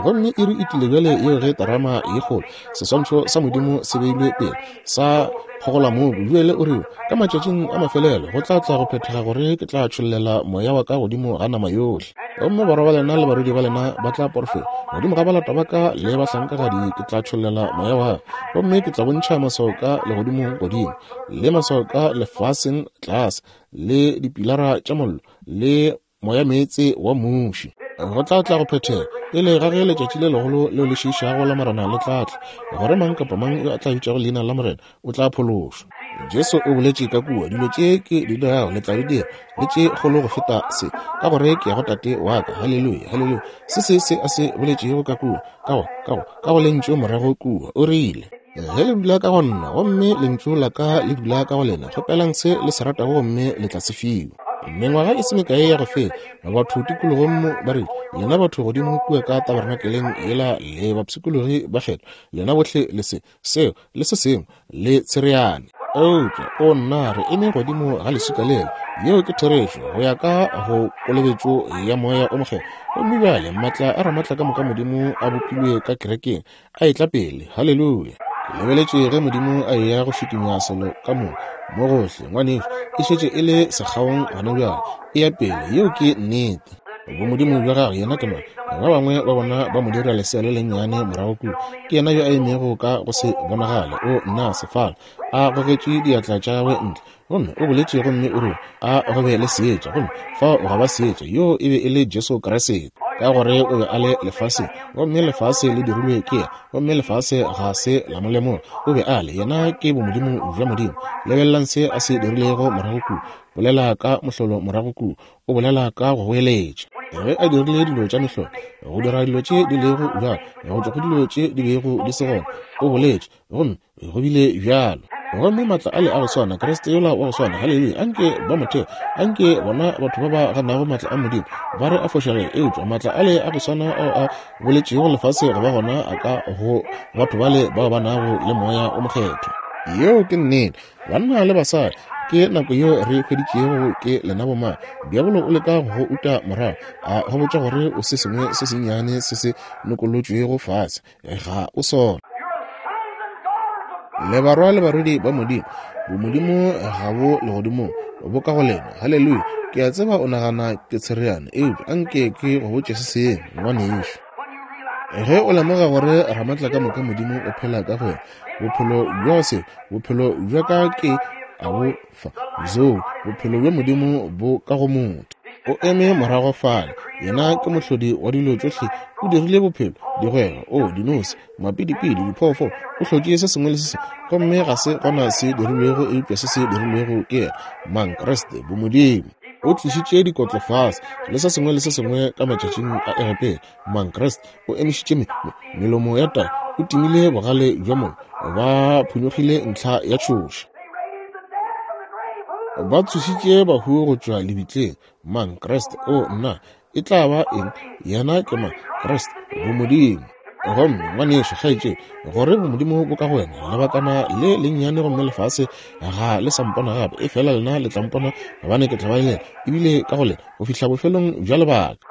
Gomme iri e tlile bjale yeo ge terama ye kgolo, seswantšho sa Modimo se beilwe pele, sa kgogolamobu. Bjale o rile, Ka matšatšing a mafelelo go tla tla go phethega gore ke tla tšhollela moya wa ka godimo ga nama yohle. Gomme barwa ba lena le barwedi ba lena ba tla porofeta. Godimo ga balata ba ka le bahlankagadi ke tla tšhollela moya wa ka. Gomme ke tla bontšha maswao ka legodimong godimo, le maswao ka lefaseng tlase, le dipilara tša mollo, le moyameetse wa muši. Go tla tla go phethega pele ga ge letšatši le legolo leo le šiišago la Morena le tla tla, gore mang kapa mang yo a tla bitšago leina la Morena o tla phološwa. Jesu o boletše ka kua, dilo tše ke di dirago le tla di dira, le tše kgolo go feta se, ka gore ke ya go Tate wa ka. Haleluya, haleluya. Se se se a se boletšego ka kua, ka go, ka go, ka go Lentšu morago kua, o rile, Ge le dula ka go nna, gomme Lentšu la ka le dula ka go lena, kgopelang se le se ratago gomme le tla se fiwa. Mengwaga e se mekae ya go feta, batho tikologong mo ba rile, Lena batho godimo kua ka tabernakeleng yela le bapshikologi ba kgethwa, lena bohle le se, seo, le se sengwe, le tshereane. Eupša, o nna, re eme godimo ga leswika lela. Yeo ke therešo, go ya ka go kolobetšo ya Moya o Mokgethwa. Gomme bjale maatla a Ramaatlakamoka Modimo a bopilwe ka kerekeng, a etla pele. Haleluya! Ke lebeletše ge Modimo a eya go šikinya selo ka moka mo gohle, ngwanešu, e šetše e le sekgaong gona bjale, e ya pele. Yeo ke nnete. Bomodimo bja gagwe, yena ke mang? Ba bangwe ba bona ba mo dira lesea le lennyane morago kua. Ke yena yo a emego ka go se bonagale, o nna sefala, a gogetše diatla tša gagwe ntle, gomme o boletše gomme o rile, A go be le seetša, gomme fao gwa ba seetša. Yoo e be e le Jesu Kriste, ka gore o be a le lefaseng, gomme lefase le dirilwe ke yena, gomme lefase ga se la mo lemoga. O be a le, yena ke bomodimo bja Modimo. Lebelelang se a se dirilego morago kua. Bolela ka mohlolo morago kua. O bolela ka go goeletša. Ge a dirile dilo tša mehlolo, go dira dilo tše di lego bjalo, go tšwa go dilo tše di bego di se gona, o boletše, gomme go bile bjalo. Gomme maatla ale a go swana, Kriste yola wa go swana, haleluya, anke ba motheo, anke bona batho ba ba ganago maatla a Modimo ba re a fošagele, eupša maatla ale a go swana ao a boletšego lefase go ba gona a ka go batho bale bao ba nago le Moya o Mokgethwa. Yeo ke nnete. Banna le basadi, ke nako yeo re hweditšego ke lena bomang. Diabolo o leka go go uta morago, a go botša gore o se sengwe se sennyane se se nokolotšwego fase. Ga o sona. Le barwa le barwedi ba Modimo. Bomodimo ga bo legodimong, bo ka go lena. Haleluya! Ke a tseba o nagana ke tshereane, eupša anke ke go botše se sengwe, ngwanešu. Ge o lemoga gore Ramatlakamoka Modimo o phela ka go wena, bophelo bja se, bophelo bja ka ke a bo fa, Zoe, bophelo bja Modimo bo ka go motho. O eme morago fale, yena ke mohlodi wa dilo tšohle, o dirile bophelo, digwegwe, o dinose, mapidipidi, diphoofolo, o hlotše se sengwe le se sengwe, gomme ga se gona se dirilwego eupša se se dirilwego ke yena, mang? Kriste, bomodimo. O tlišitše dikotlo fase le se sengwe le se sengwe ka matšatšing a Egepeta. Mang? Kriste o emišitše me, me, melomo ya tau, o timile bogale bja mollo, ba phonyokgile ntlha ya tšhoša. Ba tsošitše bahu go tšwa lebitleng. Mang? Kriste. O, nna, e tla ba eng? Yena ke mang? Kriste, bomodimo. Gomme, ngwanešu, kgaetšedi, gore bomodimo bo ka go wena lebakana le lennyane, gomme lefase ga le sa mpona gape, efela lena le tla mpona, gobane ke tla ba le lena, ebile ka go lena, go fihla bofelong bja lebaka.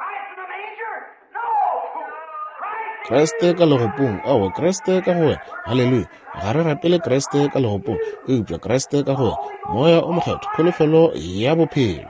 Kriste ka legopong, aowa, Kriste ka go wena. Haleluya! Ga re rapele Kriste ka legopong, eupša Kriste ka go wena, Moya o Mokgethwa, kholofelo ya bophelo.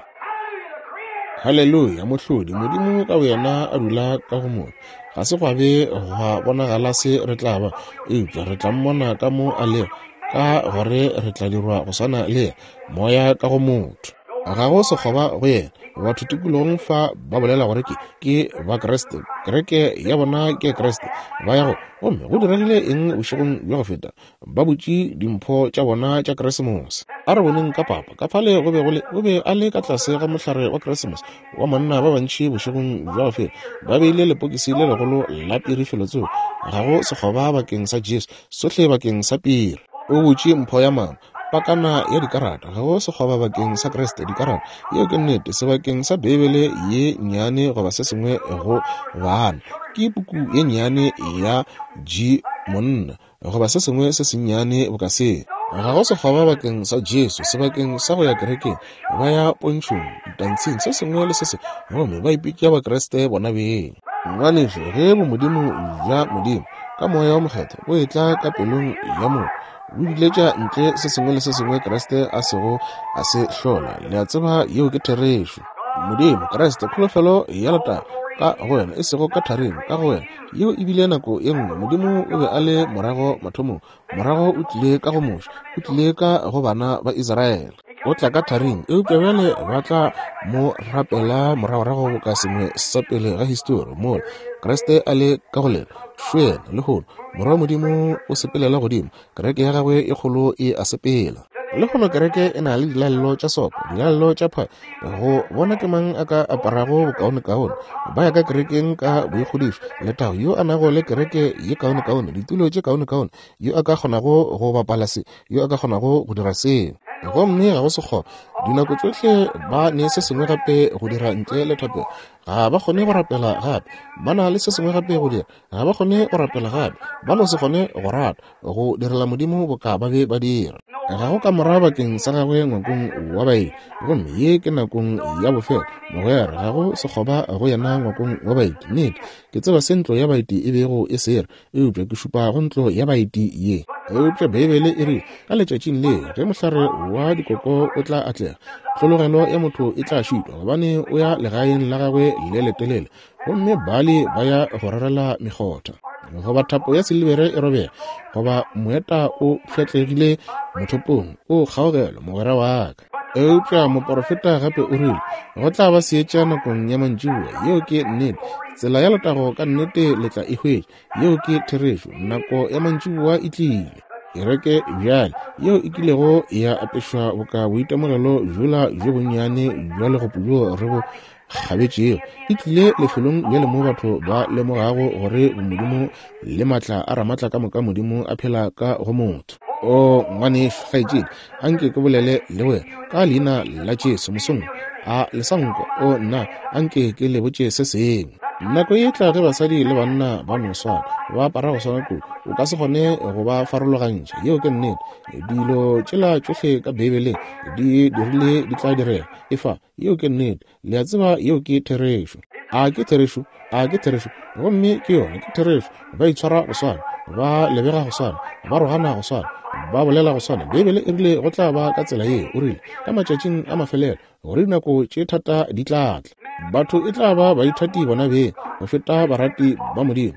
Haleluya, Mohlodi, Modimo ka boyena a dula ka go motho. Ga se gwa be gwa bonagala se re tla ba, eupša re tla mmona ka mo a lego, ka gore re tla dirwa go swana le yena, Moya ka go motho. Ga go sekgoba go yena. Batho tikologong fa ba bolela gore ke, ke Bakriste, kereke ya bona ke Kriste, ba ya go. Gomme go diregile eng bošegong bja go feta? Ba butše dimpho tša bona tša Keresemose. A re boneng ka papa, ka fale go be go le, o be a le ka tlase ga mohlare wa Keresemose wa monna ba bantši bošegong bja go feta. Ba beile lepokisi le legolo la piri felotsoko. Ga go sekgoba bakeng sa Jesu, sohle bakeng sa piri. O butše mpho ya mama, pakana ya dikarata. Ga go sekgoba bakeng sa Kriste, dikarata. Yeo ke nnete, sebakeng sa Beibele ye nnyane goba se sengwe go bana. Ke puku ye nnyane ya G monna. goba se sengwe se sennyane boka se. Ga go sekgoba bakeng sa Jesu, sebakeng sa go ya kerekeng, ba ya pontšhong, ditantshing, se sengwe le se sengwe, gomme ba ipitša Bakriste bona beng. Ngwanešu, ge bomodimo bja Modimo, ka Moya wo Mokgethwa, bo etla ka pelong ya motho, bo biletša ntle se sengwe le se sengwe Kriste a sego a se hlola. Le a tseba yeo ke therešo. Modimo, Kriste, kholofelo ya letago, ka go wena, e sego ka tharing, ka go wena. Yeo e bile nako ye nngwe Modimo o be a le morago mathomong, morago o tlile ka go Moshe, o tlile ka go bana ba Israele. O tla ka tharing, eupša bjale ba tla mo rapela moragorago boka sengwe sa pele ga histori, mola Kriste a le ka go lena. Šo yena lehono, Morwa wa Modimo o sepelela godimo, Kereke ya gagwe e kgolo e a sepela. Lehono kereke e na le dilalelo tša sopo, dilalelo tša pha, go bona ke mang a ka aparago bokaonekaone. Ba ya ka kerekeng ka boikgodišo, letago, yo a nago le kereke ye kaonekaone, ditulo tše kaonekaone, yo a ka kgonago go bapala se, yo a ka kgonago go dira seo. Gomme ga go sekgoba, dinako tšohle ba ne se sengwe gape go dira ntle le thapelo. Ga ba kgone go rapela gape, ba na le se sengwe gape go dira. Ga ba kgone go rapela gape, ba no se kgone go rata go direla Modimo boka ba be ba dira. Ga go kamora bakeng sa gagwe ngwakong wa baeti, gomme ye ke nakong ya bofelo, mogwera. Ga go sekgoba go yena ngwakong wa baeti. Nnete, ke tseba se ntlo ya baeti e bego e se ra, eupša ke šupa go ntlo ya baeti ye. Eupša Beibele e rile, ka letšatšing le ge mohlare wa dikoko o tla atlega, tlhologelo ya motho e tla šitwa, gobane o ya legaeng la gagwe le letelele, gomme bale ba ya go rerela mekgotha. Goba thapo ya silibere e robega, goba moeta o pšhatlegile mothopong, o kgaogelo, mogwera wa ka. Eupša moporofeta gape o rile, go tla ba seetša nakong ya mantšiboa. Yeo ke nnete. Tsela ya letago ka nnete le tla e hwetša. Yeo ke therešo. Nako ya mantšiboa e tlile. Kereke bjale, yeo e kilego ya apešwa boka boitemogelo bjola bjo bonnyane bja legopo bjo re bo kgabetšego e tlile lefelong bjale mo batho ba lemogago gore bomodimo le maatla a Ramatla ka moka Modimo a phela ka go motho. O ngwanešu, kgaetšedi, a nke ke bolele le wena ka leina la Jesu mosong a le sa nkwa. O nna, a nke ke le botše se sengwe. Nako e tla ge basadi le banna ba no swana, ba apara go swana kudu, o ka se kgone go ba farologantšha. Yeo ke nnete. Dilo tšela tšohle ka Beibeleng di dirile di tla direga. Efa, Yeo ke nnete. Le a tseba yeo ke therešo. A ke therešo? A ke therešo? Gomme ke yona, ke therešo. Ba itshwara go swana, ba lebega go swana, ba rogana go swana, ba bolela go swana. Beibele e rile go tla ba ka tsela ye. O rile, ka matšatšing a mafelelo, gore dinako tše thata di tla tla. Batho e tla ba baithati bona beng go feta barati ba Modimo,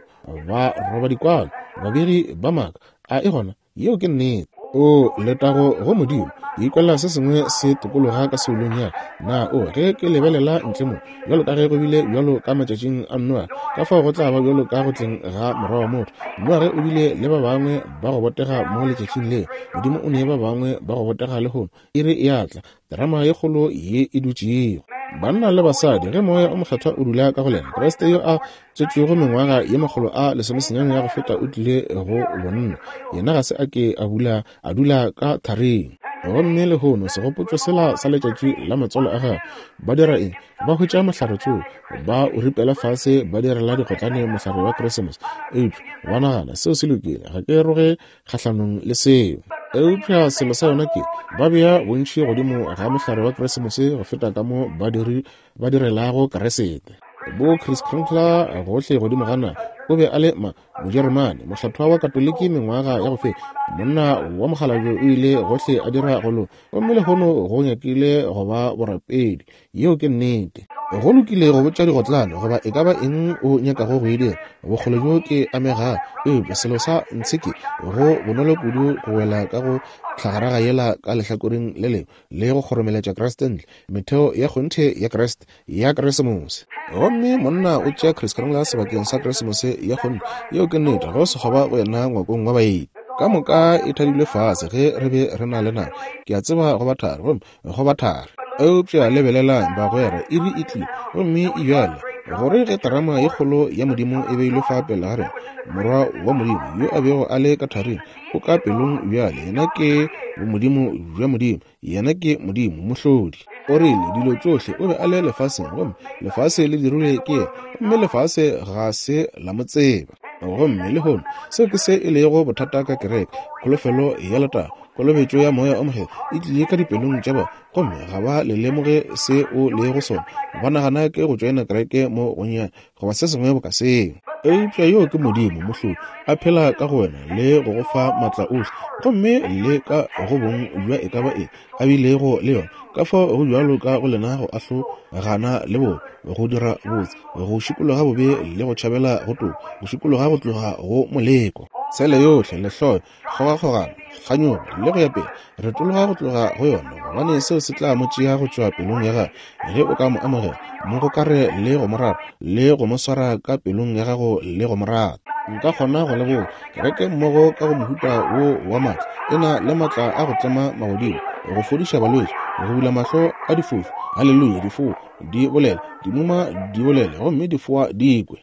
ba roba dikwalo, babegi ba maaka. A e gona? Yeo ke nnete. O, letago go Modimo! Ke ikwela se sengwe se tokologa ka soulong ya ka. Na o, ge ke lebelela ntle mo, bjalo ka ge go bile bjalo ka matšatšing a Noage, ka fao go tla ba bjalo ka go tleng ga Morwa wa motho. Noage o bile le ba bangwe ba go botega mo letšatšing leo. Modimo o ne ba bangwe ba go botega lehono. Iri e a tla, terama ye kgolo ye e dutšego. Banna le basadi, ge Moya o Mokgethwa o dula ka go lena, Kriste yo a tswetšwego mengwaga ye 119 ya go feta o tlile go bonna. Yena ga se a ke a bula a dula ka tharing. Gomme lehono segopotšo sela sa letšatši la matswalo a gagwe, ba dira eng? Ba hwetša mohlare tsoo, ba o ripela fase, ba direla digotlane mohlare wa Krisemose. Eupša ba nagana seo se lokile. Ga ke roge kgahlanong le seo. Eupša selo sa yona ke, ba bea bontši godimo ga mohlare wa Krisemose go feta ka mo ba diri ba direlago Keresete. Bo Kris Kringle gohle godimo ga naga. O be a le ma Mojeremane, mohlathwa wa Katoliki mengwaga ya go feta. Monna wa mokgalabje o ile gohle a dira go loka, gomme lehono go nyakile go ba borapedi. Yeo ke nnete. Go lokile go botša digotlane goba e ka ba eng o nyakago go e dira, bokgole bjo ke amegago, eupša selo sa ntshe ke, go bonolo kudu go wela ka go tlhagaraga yela ka lehlakoreng le lengwe le go kgoromeletša Kriste ntle, metheo ya kgonthe ya Kriste ya Kresemose. Gomme monna o tšea Kris Kringle sebakeng sa Kresemose ya kgonthe. Yeo ke nnete, go sekgoba go yena ngwakong wa baeti. Ka moka e thadilwe fase ge re be re na le nako. Ke a tseba go ba thari, gomme go ba thari. Eupša lebelelang, bagwera, iri e tlile, gomme e bjale, gore ge terama ye kgolo ya Modimo e beilwe fa pele ga rena, Morwa wa Modimo, yo a bego a le ka tharing, o ka pelong bjale. Yena ke Bomodimo bja Modimo. Yena ke Modimo, Mohlodi. O rile, Dilo tšohle, o be a le lefaseng, gomme lefase le dirilwe ke yena, gomme lefase ga se la mo tseba. Gomme lehono, seo ke se e lego bothata ka kereke, kholofelo ya letago, kolobetšo ya Moya o Mokgethwa e tlile ka dipelong tša bona, gomme ga ba le lemoge se o lego sona. Ba nagana ke go tšoena kereke mo gonnyane, goba se sengwe boka seo. Eupša yoo ke Modimo, Mohlodi, a phela ka go wena le go go fa maatla ohle, gomme le ka go bong bja e ka ba eng a bilego le yona. Ka fao go bjalo ka go lena go ahlogana le bobe, go dira botse, go šikologa bobe le go tšhabela go toka, go šikologa go tloga go moleko. Tshele yohle, lehloyo, kgogakgogano, kganyogo, le go ya pele, retologa go tloga go yona, gobane seo se tla mo tšea go tšwa pelong ya gago. Ge o ka mo amogela, mo gokare le go mo rata, le go mo swara ka pelong ya gago le go mo rata. Nka kgona go le botša, kereke mmogo ka go mohuta wo wa maatla, e na le maatla a go tlema magodimo, go fodiša balwetši, go bula mahlo a difofu, haleluya, difoa di bolele, dimuma di bolele, gomme difoa di kwe.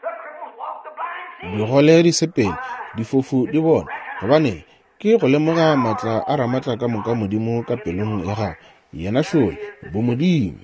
Digole di sepele, difofu di bone. Gobane ke go lemoga maatla a Ramatla ka moka Modimo ka pelong ya gago. Yena šole, bomodimo.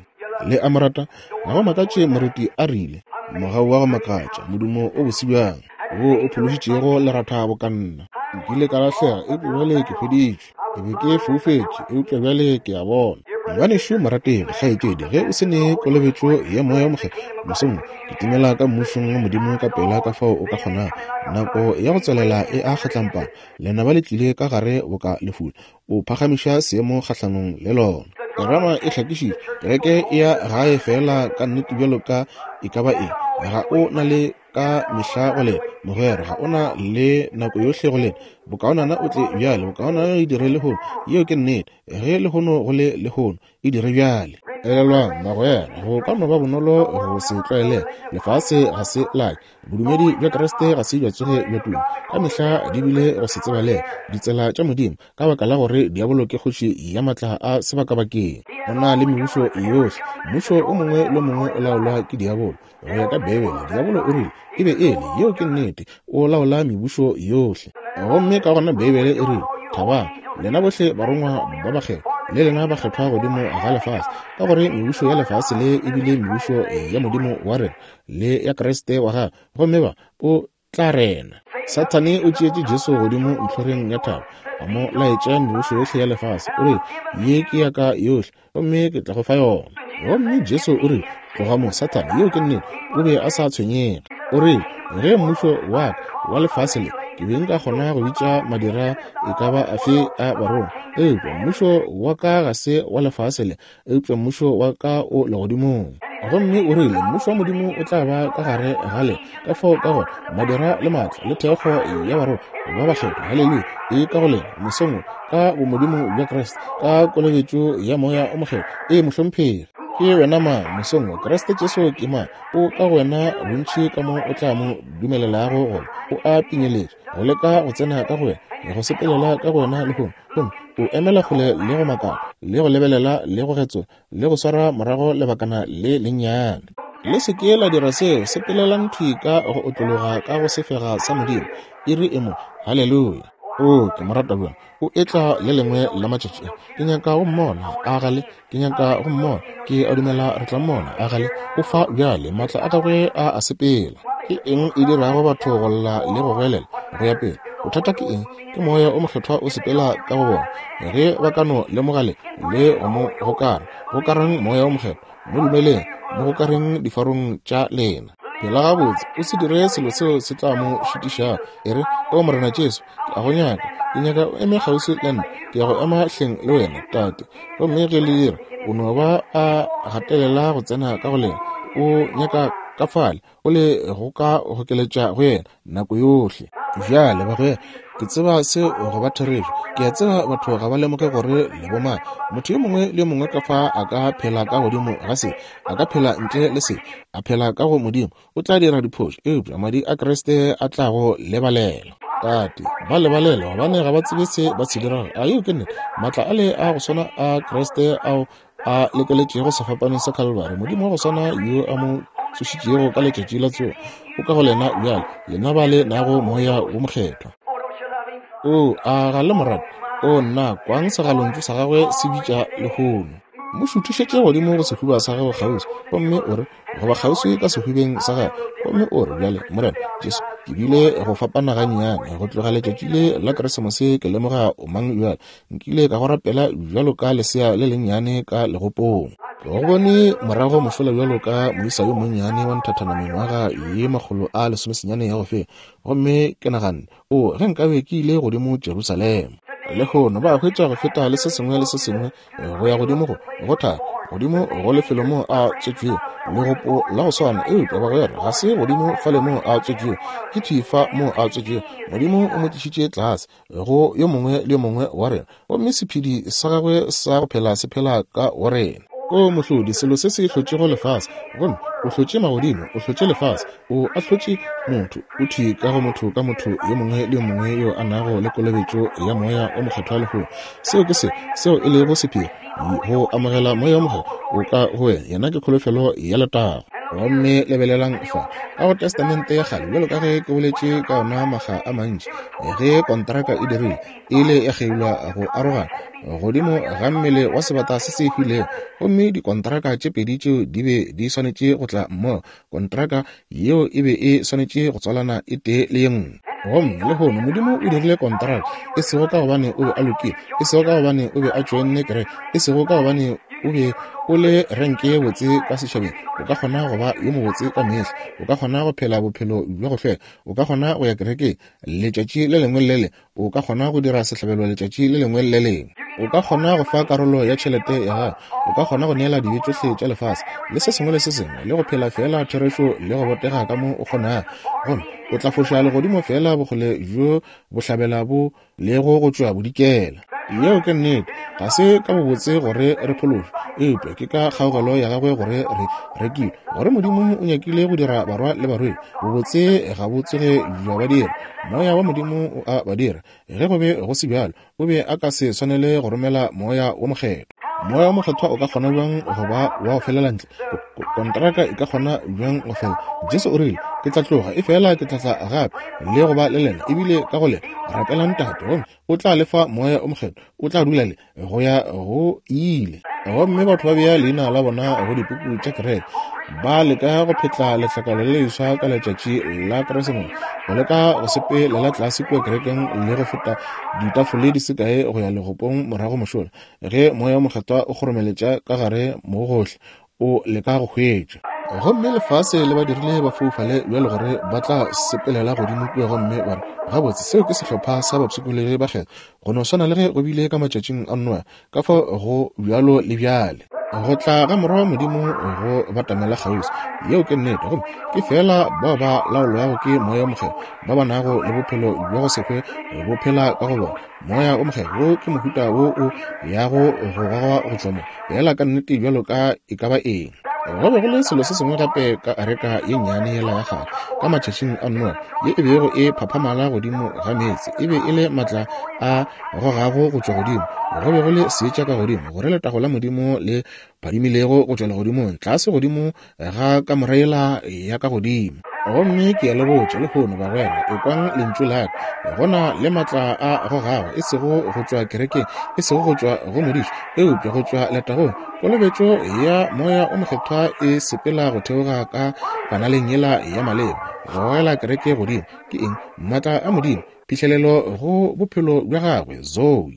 Le a mo rata? Ga go makatše moreti a rile, Mogau wa go makatša, modumo o bose bjang, wo o phološitšego leratha boka nna. Nkile ka lahlega, eupša bjale ke hweditšwe. Ke be ke foufetše, eupša bjale ke a bona. Ngwanešu morategi, kgaetšedi, ge o se ne kolobetšo ya Moya wo Mokgethwa, mosong wo, kitimela ka Mmušong wa Modimo ka pela ka fao o ka kgonago. Nako ya go tswelela e a kgatlampana. Lenaba le tlile ka gare boka lefula. O phagamiša seemo kgahlanong le lona. Terama e hlakišitšwe. Kereke e ya gae feela ka nnete bjalo ka e ka ba eng. Ga o na le ka mehla go lena, mogwera, ga o na le nako yohle go lena. Bokaonana o tle bjale, bokaonana e dire lehono. Yeo ke nnete. Ge lehono go le lehono, e dire bjale. Elelwang, magwera, go ka no ba bonolo go se tlwaelege. Lefase ga se lake. Bodumedi bja Kriste ga se bja tsoge bja tuma. Ka mehla di bile go se tsebalege ditsela tša Modimo, ka baka la gore diabolo ke kgoši ya matla a sebakabakeng. O na le mebušo yohle. Mmušo o mongwe le o mongwe o laolwa ke diabolo. Go ya ka Beibele, diabolo o rile e be e le, yeo ke nnete, o laola mebušo yohle. Gomme ka gona Beibele e rile, Thabang, lena bohle barongwa ba bakgethwa, le lena bakgethwa godimo ga lefase, ka gore mebušo ya lefase le e bile mebušo ya Modimo wa rena le ya Kriste wa gagwe, gomme ba o tla rena. Sathane o tšeetše Jesu godimo ntlhoreng ya thaba, a mo laetša mebušo yohle ya lefase. O rile, Ye ke ya ka yohle, gomme ke tla go fa yona. Gomme Jesu o rile, Tloga mo, Sathane. Yeo ke nnete. O be a sa tshwenyege. O rile, Ge mmušo wa ka wa lefase le, ke be nka kgona go bitša madira e ka ba afe a barongwa. Eupša mmušo wa ka ga se wa lefase le, eupša mmušo wa ka o legodimong. Gomme o rile, Mmušo wa Modimo o tla ba ka gare ga lena. Ka fao ka gore madira le maatla le thekgo ya barongwa ba bakgethwa, haleluya, e ka go lena mosong wo, ka bomodimo bja Kriste, ka kolobetšo ya Moya o Mokgethwa. Ee, mohlomphegi. Ke wena mang mosong wo? Kriste Jesu ke mang? O ka go wena bontši ka mo o tla mo dumelelago go ba. O a pinyeletša, go leka go tsena ka go wena, go sepelela ka go wena lehono. Gomme o emela kgole le go makala. le go lebelela le go getsola le go swara morago lebakana le lennyane. Le se ke la dira seo, sepelelang thwi ka go otlologa ka go sefega sa Modimo. Iri e mo. Haleluya! Oo, ke mo rata bjang. O etla le lengwe la matšatši a. Ke nyaka go mmona, a ga le? Ke nyaka go mmona. Ke a dumela re tla mmona, a ga le? O fa bjale, maatla a gagwe a a sepela. Ke eng e dirago batho go lla le go goelela go ya pele? Bothata ke eng? Ke Moya o Mokgethwa o sepela ka go bona. Ge ba ka no lemoga le, le go mo gokara, gokarang Moya o Mokgethwa. Mo dumeleng, mo gokareng difarong tša lena. Phela gabotse, o se dire selo seo se tla mo šitišago. E re, O Morena Jesu, ke a go nyaka. Ke nyaka o eme kgauswi le nna. Ke ya go ema hleng le wena, Tate. Gomme ge le dira, o no ba a gatelela go tsena ka go lena. O nyaka ka fale, o le go ka gokeletša go yena nako yohle. Bjale, bagwera, ke tseba seo go ba therešo. Ke a tseba batho ga ba lemoge gore le bomang. Motho yo mongwe le yo mongwe ka fa a ka phela ka godimo ga se, a ka phela ntle le se, a phela ka go Modimo, o tla dira diphošo, eupša madi a Kriste a tla go lebalela. Tate, ba lebalele gobane ga ba tsebe se ba se dirago. A yeo ke nnete? Maatla ale a go swana a Kriste ao a lekeletšego sefapanong sa Calvary, Modimo wa go swana yo a mo tsošitšego ka letšatši la tsogo, o ka go lena bjale, lena ba le nago Moya wo Mokgethwa. O, a ga le mo rate? O, nna, kwang segalontšu sa gagwe se bitša lehono. Mo šuthišetše godimo go sehuba sa gago kgauswi, gomme o re, goba kgauswi ka sehubeng sa gagwe, gomme o re, Bjale, Morena Jesu, ke bile go fapana gannyane go tloga letšatši le la Keresemose, ke lemoga o mang bjale. Nkile ka go rapela bjalo ka lesea le lennyane ka legopong. Ke go bone morago mošola bjalo ka moisa yo monnyane wa nthathana mengwaga ye 119 ya go feta, gomme ke naganne, O, ge nkabe ke ile godimo Jerusalema. Lehono ba hwetša go feta le se sengwe le se sengwe go ya godimo go go thaba godimo go lefelo moo a tswetšwego legopo la go swana, eupša bagwera ga se godimo fale moo a tswetšwego, ke thwi fa moo a tswetšwego. Modimo o mo tlišitše tlase go yo mongwe le yo mongwe wa rena, gomme sephedi sa gagwe sa go phela se phela ka go rena. O mohlodi, selo se se hlotšego lefase, gomme o hlotše magodimo, o hlotše lefase, o ahlotše motho, o thwi ka go motho ka motho yo mongwe le yo mongwe yo a nago le kolobetšo ya Moya o Mokgethwa lehono. Seo ke se, seo e lego sephiri, go amogela Moya o Mokgethwa o ka go wena. Yena ke kholofelo ya letago. Gomme lebelelang fa, ka go Testamente ya Kgale, bjalo ka ge ke boletše ka ona makga a mantši, ge kontraka e dirile, e ile ya kgeilwa go arogana godimo ga mmele wa sebata se se hwilego, gomme dikontraka tše pedi tšeo di be di swanetše go tla mmogo. Kontraka yeo e be e swanetše go tswalana e tee le ye nngwe. Gomme lehono Modimo o dirile kontraka, e sego ka gobane o be a lokile, e sego ka gobane o be a tšoenne kereke, e sego ka gobane o be o le renke ye botse ka setšhabeng. O ka kgona go ba yo mobotse ka mehla, o ka kgona go phela bophelo bja go hlweka, o ka kgona go ya kerekeng letšatši le lengwe le le lengwe, O ka kgona go dira sehlabelo letšatši le lengwe le le lengwe. O ka kgona go fa karolo ya tšhelete ya gago. O ka kgona go neela dibe tšohle tša lefase le se sengwe le se sengwe, le go phela feela therešo le go botega ka mo o kgonago. Gomme o tla foša legodimo feela bokgole bjo bohlabela bo lego go tšwa bodikela. Yeo ke nnete. Ga se ka bobotse gore re phološwe, eupša ke ka kgaugelo ya gagwe gore re rekilwe, gore Modimo o nyakile go dira barwa le barwedi. Bobotse ga bo tsoge bja ba dira. Moya wa Modimo o a ba dira. Ge go be go se bjalo, o be a ka se swanele go romela Moya wo Mokgethwa. Moya wo Mokgethwa o ka kgona bjang go ba wa go felela ntle? Kontraka e ka kgona bjang go fela? Jesu o rile, Ke tla tloga, efela ke tla tla gape le go ba le lena, ebile ka go lena. Rapelang Tate, gomme o tla le fa Moya o Mokgethwa, o tla dula le go ya go ile. Gomme batho ba bea leina la bona go dipuku tša kereke, ba leka go phetla letlakala le leswa ka letšatši la Keresemose, go leka go sepelela tlase kua kerekeng le go feta ditafole di se kae go ya legopong morago mošola, ge Moya wo Mokgethwa o kgoromeletša ka gare mo gohle, o leka go hwetša. Gomme lefase le ba dirile ba foufale bjalo gore ba tla sepelela godimo kua gomme ba re, Gabotse, seo ke sehlopha sa bapshikologi ba kgethwa, go no swana le ge go bile ka matšatšing a Noa, ka fao go bjalo le bjale. Go tla ga Morwa wa Modimo go batamela kgauswi. Yeo ke nnete. Gomme ke feela bao ba laolwago ke Moya wo Mokgethwa ba ba nago le bophelo bja go se hwe bo phela ka go bona. Moya wo Mokgethwa wo ke mohuta wo o yago go gogwa go tšwa mo, feela ka nnete bjalo ka e ka ba eng. Go be go le selo se sengwe gape ka areka ye nnyane yela ya kgale ka matšatšing a Noa, ye e bego e phaphamala godimo ga meetse. E be e le maatla a gogago go tšwa godimo. Go be go le seetša ka godimo, gore letago la Modimo le phadimilego go tšwa legodimong tlase godimo ga kamora yela ya ka godimo. Gomme ke a le botša lehono, bagwera, ekwang lentšu la ka. Go na le maatla a gogago, e sego go tšwa kerekeng, e sego go tšwa go modiši, eupša go tšwa letagong. Kolobetšo ya Moya o Mokgethwa e sepela go theoga ka kanaleng yela ya maleba, go gogela kereke godimo. Ke eng? Maatla a Modimo, phihlelelo go bophelo bja gagwe, Zoe.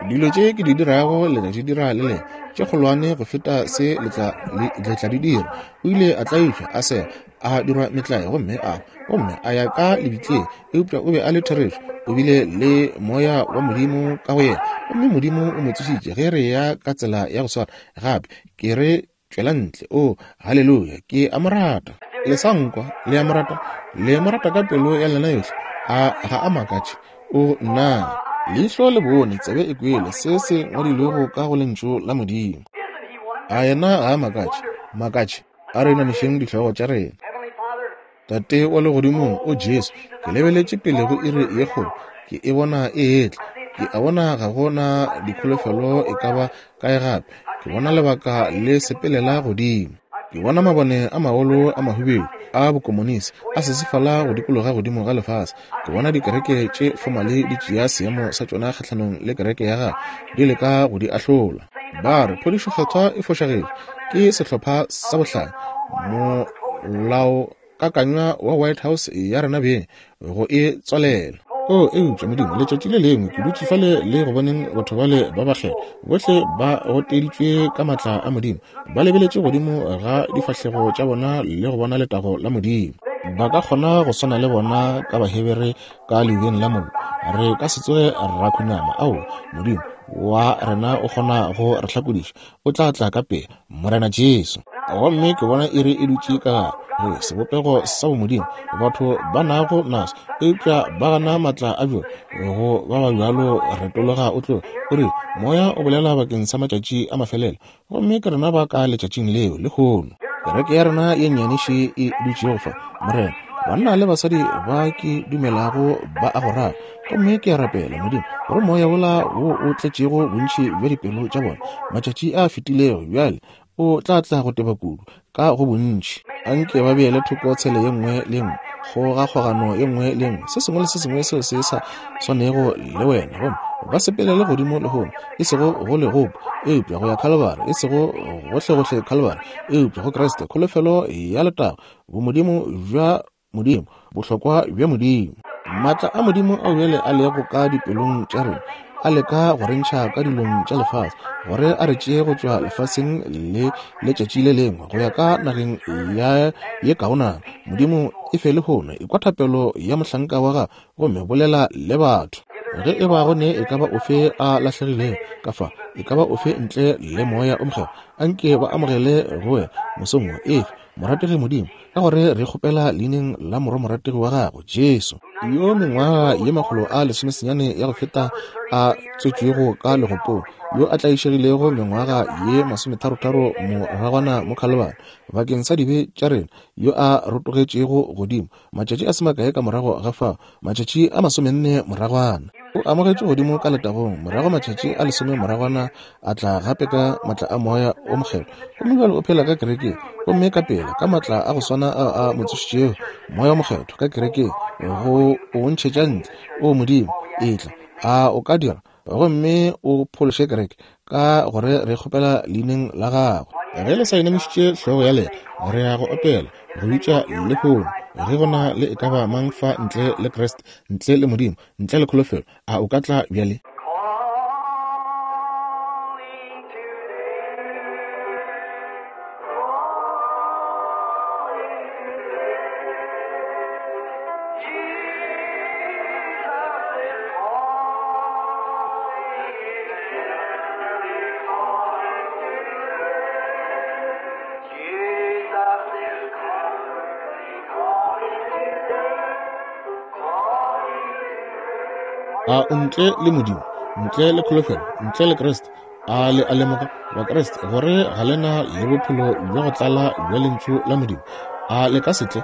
Dilo tše ke di dirago le tla di dira le lena, tše kgolwane go feta se le tla di dira. O ile a tlaišwa, a sega, a dirwa metlae, gomme a gomme a ya ka lebitleng, eupša o be a le therešo. O bile le Moya wa Modimo ka go yena, gomme Modimo o mo tsošitše. Ge re ya ka tsela ya go swana gape, ke re tšwela ntle. O, haleluya, ke a mo rata. Le sa nkwa, le a mo rata, le mo rata ka pelo ya lena yohle. A ga a makatše? O, nna! Leihlo le bone, tsebe e kwele se se ngwadilwego ka go Lentšu la Modimo. A yena ga a makatše? Makatše. A re inamišeng dihlogo tša rena. Tate wa Legodimong, o Jesu, ke lebeletše pele go iri ye kgolo. Ke e bona e etla. Ke a bona ga go na dikholofelo e ka ba kae gape. Ke bona lebaka le sepelela godimo. Ke bona mabone a magolo a mahubedu a bokomonisi a sesefala go dikologa godimo ga lefase. Ke bona dikereke tše fomale di tšea seemo sa tšona kgahlanong le kereke ya gago, di leka go di ahlola. Ba re phodišo kgethwa e fošagetše, ke sehlopha sa bohlanya. Molaokakanywa wa White House ya rena beng go e tswalela. O, eupša, Modimo, letšatši le lengwe ke dutše fale le go boneng batho bale ba bakgethwa, bohle ba gotteditšwe ka maatla a Modimo, ba lebeletše godimo ga difahlego tša bona le go bona letago la Modimo. Ba ka kgona go swana le bona ka Bahebere ka leubeng la mollo. Re ka se tsoge ra khunama. Aowa, Modimo wa rena o kgona go re hlakodiša. O tla tla ka pele, Morena Jesu. Gomme ke bona iri e dutše ka gare go sebopego sa bomodimo batho ba nago naso, eupša ba gana maatla a bjona. Go ba ba bjalo retologa o tloge o re, Moya o bolela bakeng sa matšatši a mafelelo, gomme ke rena ba ka letšatšing leo lehono. Kereke ya rena ye nnyane še e dutšego fa, Morena, banna le basadi ba ke dumelago ba a go rata. Gomme ke a rapela, Modimo, gore Moya wola wo o tletšego bontši bja dipelo tša bona matšatši a fetilego bjale o tla tla go teba kudu ka go bontši. Anke ba beele thoko tshele ye nngwe le nngwe, kgogakgogano ye nngwe le nngwe, se sengwe le se sengwe seo se sa swanego le wena, gomme ba sepelele godimo lehono, e sego go legopo, eupša go ya Khalibari, e sego gohlegohle Khalibari, eupša go Kriste, kholofelo ya letago, bomodimo bja Modimo, bohlokwa bja Modimo. Maatla a Modimo ao bjale a lego ka dipelong tša rena a leka go re ntšha ka dilong tša lefase, gore a re tšee go tšwa lefaseng le letšatši le lengwe go ya ka nageng ya ye kaonana. Modimo, e fe lehono, ekwa thapelo ya mohlanka wa gago gomme bolela le batho. Ge e ba go ne e ka ba ofe a lahlegilego ka fa, e ka ba ofe ntle le Moya o Mokgethwa, anke ba amogele go wena mosong wo. Efe, morategi Modimo, ka gore re kgopela leineng la Morwa morategi wa gago, Jesu, yo mengwaga ye 119 ya go feta a tswetšwego ka legopong, yo a tlaišegilego mengwaga ye 33 moragwana mo Khalibari bakeng sa dibe tša rena, yo a rotogetšego godimo matšatši a se makae ka morago ga fao, matšatši a 40 moragwana. O amogetšwe godimo ka letagong, morago matšatši a 10 moragwana a tla gape ka matla a Moya o Mokgethwa, gomme bjale o phela ka kerekeng, gomme ka pela ka matla a go swana ao a mo tsošitšego, Moya o Mokgethwa ka kerekeng, go o ntšhetša ntle. O Modimo, etla, a o ka dira, gomme o phološe kereke, ka gore re kgopela leineng la gago. Ge le sa inamišitše hlogo ya lena, re ya go opela go bitša lehono. Ge go na le e ka ba mang fa ntle le Kriste, ntle le Modimo, ntle le kholofelo, a o ka tla bjale? A o ntle le Modimo, ntle le kholofelo, ntle le Kriste? A le a lemoga, Bakriste, gore ga le na le bophelo bja go tlala bja Lentšu la Modimo? A le ka se tle?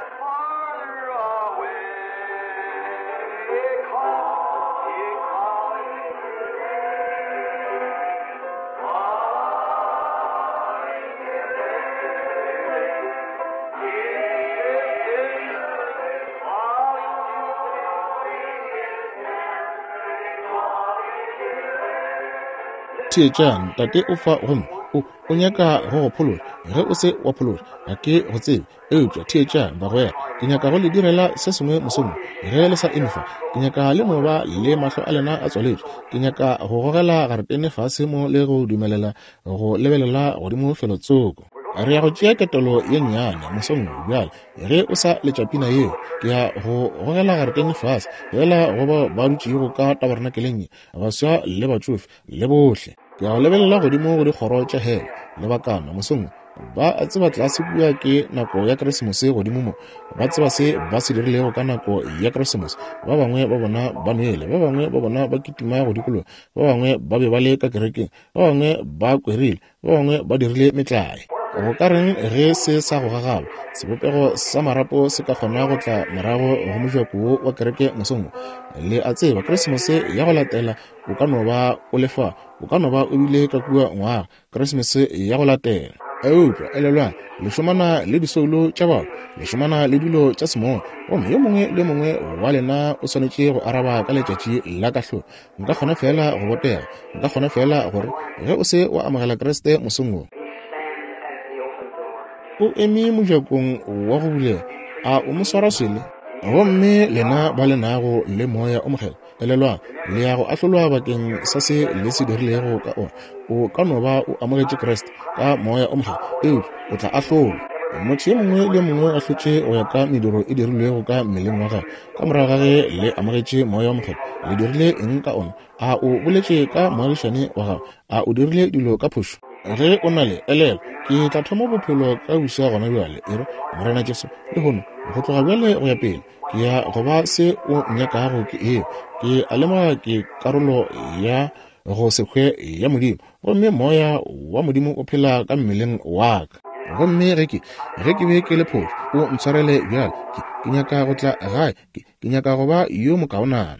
Theetšang, Tate o fa gomme o, o nyaka go go phološa. Ge o se wa phološa, ga ke go tsebe. Eupša theetšang, bagwera, ke nyaka go le direla se sengwe mosong wo. Ge le sa eme fa, ke nyaka le no ba le mahlo a lena a tswaletšwe. Ke nyaka go gogela garetene fase mo le go dumelela go lebelela godimo felotsoko. Re ya go tšea ketelo ye nnyane mosong wo bjale. Ge o sa letša pina yeo, ke ya go gogela garetene fase, feela go bao ba dutšego ka tabarenakeleng ye, baswa le batšofe, le bohle. Ke ya go lebelela godimo go dikgoro tša hele, lebakana, mosong wo. Ba a tseba tlase kua ke nako ya Keresemose godimo mo. Ba tseba se ba se dirilego ka nako ya Keresemose. Ba bangwe ba bona ba nwele, ba bangwe ba bona ba kitima go dikologa, ba bangwe ba be ba le ka kerekeng, ba bangwe ba kwerile, ba bangwe ba dirile metlae. Go ka reng ge se sa go gagaba sebopego sa marapo se ka kgona go tla morago go mojako wo wa kereke mosong wo? Le a tseba, Keresemose ya go latela o ka no ba o le fa, o ka no ba o bile ka kua ngwaga, Keresemose ya go latela. Eupša elelwang, le šomana le disoulo tša batho, le šomana le dilo tša semoya, gomme yo mongwe le yo mongwe wa lena o swanetše go araba ka letšatši la kahlolo. Nka kgona feela go botega, nka kgona feela gore ge o se wa amogela Kriste mosong wo, o eme mojakong wa go bulega, a o mo swara swele? Gomme lena ba le nago le Moya o Mokgethwa, Elelwang, le ya go ahlolwa bakeng sa se le se dirilego ka ona. O ka no ba o amogetše Kriste ka Moya o Mokgethwa, eupša o tla ahlolwa. Motho yo mongwe le yo mongwe o ahlotše go ya ka mediro e dirilwego ka mmeleng wa gagwe. Ka morago ga ge le amogetše Moya o Mokgethwa, le dirile eng ka ona? A o boletše ka moagišane wa gago? A o dirile dilo ka phošo? Ge o na le, elelwa, ke tla thoma bophelo ka buša gona bjale. E re, Morena Jesu, lehono, go tloga bjale go ya pele, ke ya go ba se o nnyakago ke eo. Ke a lemoga ke karolo ya go se hwe ya Modimo, gomme Moya wa Modimo o phela ka mmeleng wa ka. Gomme ge ke, ge ke be ke le phošo, o ntshwarele bjale. Ke, ke nyaka go tla gae. Ke, ke nyaka go ba yo mokaonana.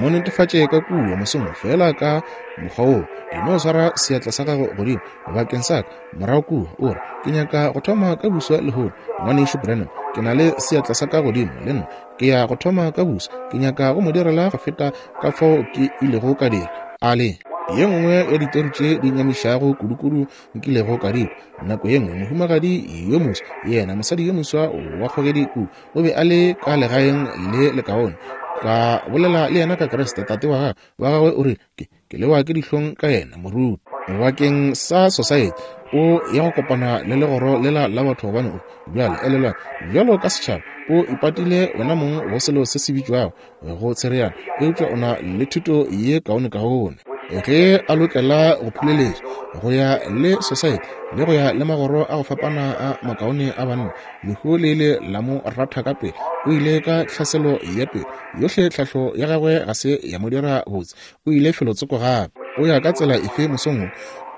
Mo netefatše ka kua mosong feela ka mokgwa woo. E no swara seatla sa gago godimo bakeng sa ka morago kua, o re, Ke nyaka go thoma ka buswa lehono, Ngwanešu Branham. Ke na le seatla sa ka godimo, le nna. Ke ya go thoma ka buswa. Ke nyaka go mo direla go feta ka fao ke ilego ka dira. A le ye nngwe ya ditori tše di nyamišago kudukudu nkilego ka di kwa. Nako ye nngwe mohumagadi yo moswa, yena mosadi yo moswa wa kgogedi kudu, o be a le ka legaeng le lekaone. Ka bolela le yena ka Kriste, tate wa gagwe, wa gagwe o rile, ke, ke lewa ke dihlong ka yena, moruti. Bakeng sa society, o ya go kopana le legoro lela la batho gobane o, bjale, elelwang, bjalo ka setšhaba, o ipatile wena mong go selo se se bitšwago go tshereana, eupša o na le thuto ye kaonekaone. Ge a lokela go phuleletša go ya le society le go ya le magoro a go fapana a makaone a banna, lehu le ile la mo ratha ka pele. O ile ka tlhaselo ya pele. Yohle tlhahlo ya gagwe ga se ya mo dira botse. O ile felotsoko gape. O ya ka tsela efe mosong wo?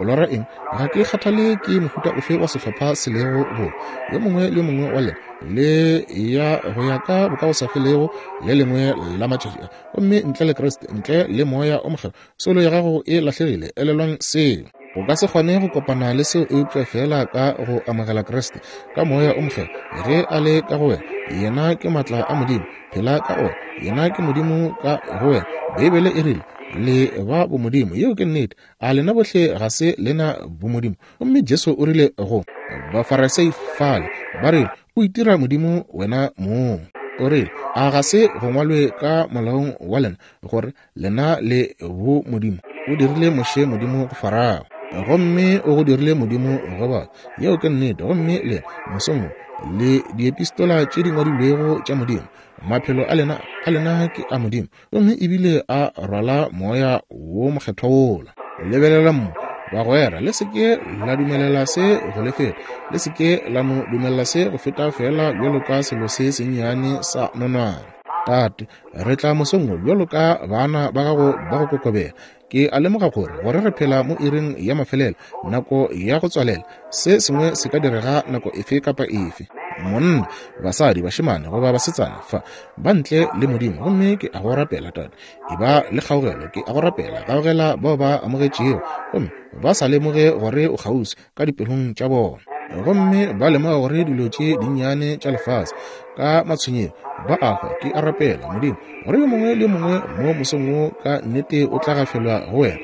O lora eng? Ga ke kgathale ke mohuta ofe wa sehlopha se lego bo. Yo mongwe le yo mongwe wa lena le ya go ya ka bokagosafelego le lengwe la matšatši a. Gomme ntle le Kriste, ntle le Moya o Mokgethwa, soulo ya gago e lahlegile. Elelwang seo. O ka se kgone go kopana le seo eupša feela ka go amogela Kriste ka Moya o Mokgethwa. Ge a le ka go wena, yena ke maatla a Modimo. Phela ka ona. Yena ke Modimo ka go wena. Beibele e rile, Le ba bomodimo. Yeo ke nnete. A lena bohle ga se lena bomodimo? Gomme Jesu o rile go Bafarasei fale, ba rile, O itira Modimo wena mong. O rile, A ga se go ngwalwe ka molaong wa lena gore lena le bo Modimo? O dirile Moshe Modimo go Farao, gomme o go dirile Modimo go batho. Yeo ke nnete. Gomme lena, mosong wo, le diepistola tše di ngwadilwego tša Modimo. Maphelo a lena, a lena ke a Modimo. Gomme ebile a rwala Moya wo Mokgethwa wola. Lebelelang mo, bagwera, le se ke la dumelela se go le feta. Le se ke la no dumelela se go feta feela bjalo ka selo se sennyane sa nonwane. Tate, re tla mosong wo bjalo ka bana ba gago ba go kokobela. Ke a lemoga gore, gore re phela mo iring ya mafelelo, nako ya go tswalela. Se sengwe se ka direga nako efe kapa efe. Monna, basadi, bašemane goba basetsana fa ba ntle le Modimo, gomme ke a go rapela, Tate, e ba le kgaugelo. Ke a go rapela, gaugela bao ba amogetšego gomme ba sa lemoge gore o kgauswi ka dipelong tša bona. Gomme ba lemoga gore dilo tše dinnyane tša lefase ka matshwenyego ba a hwa. Ke a rapela, Modimo, gore yo mongwe le yo mongwe mo mosong wo ka nnete o tla gafelwa go wena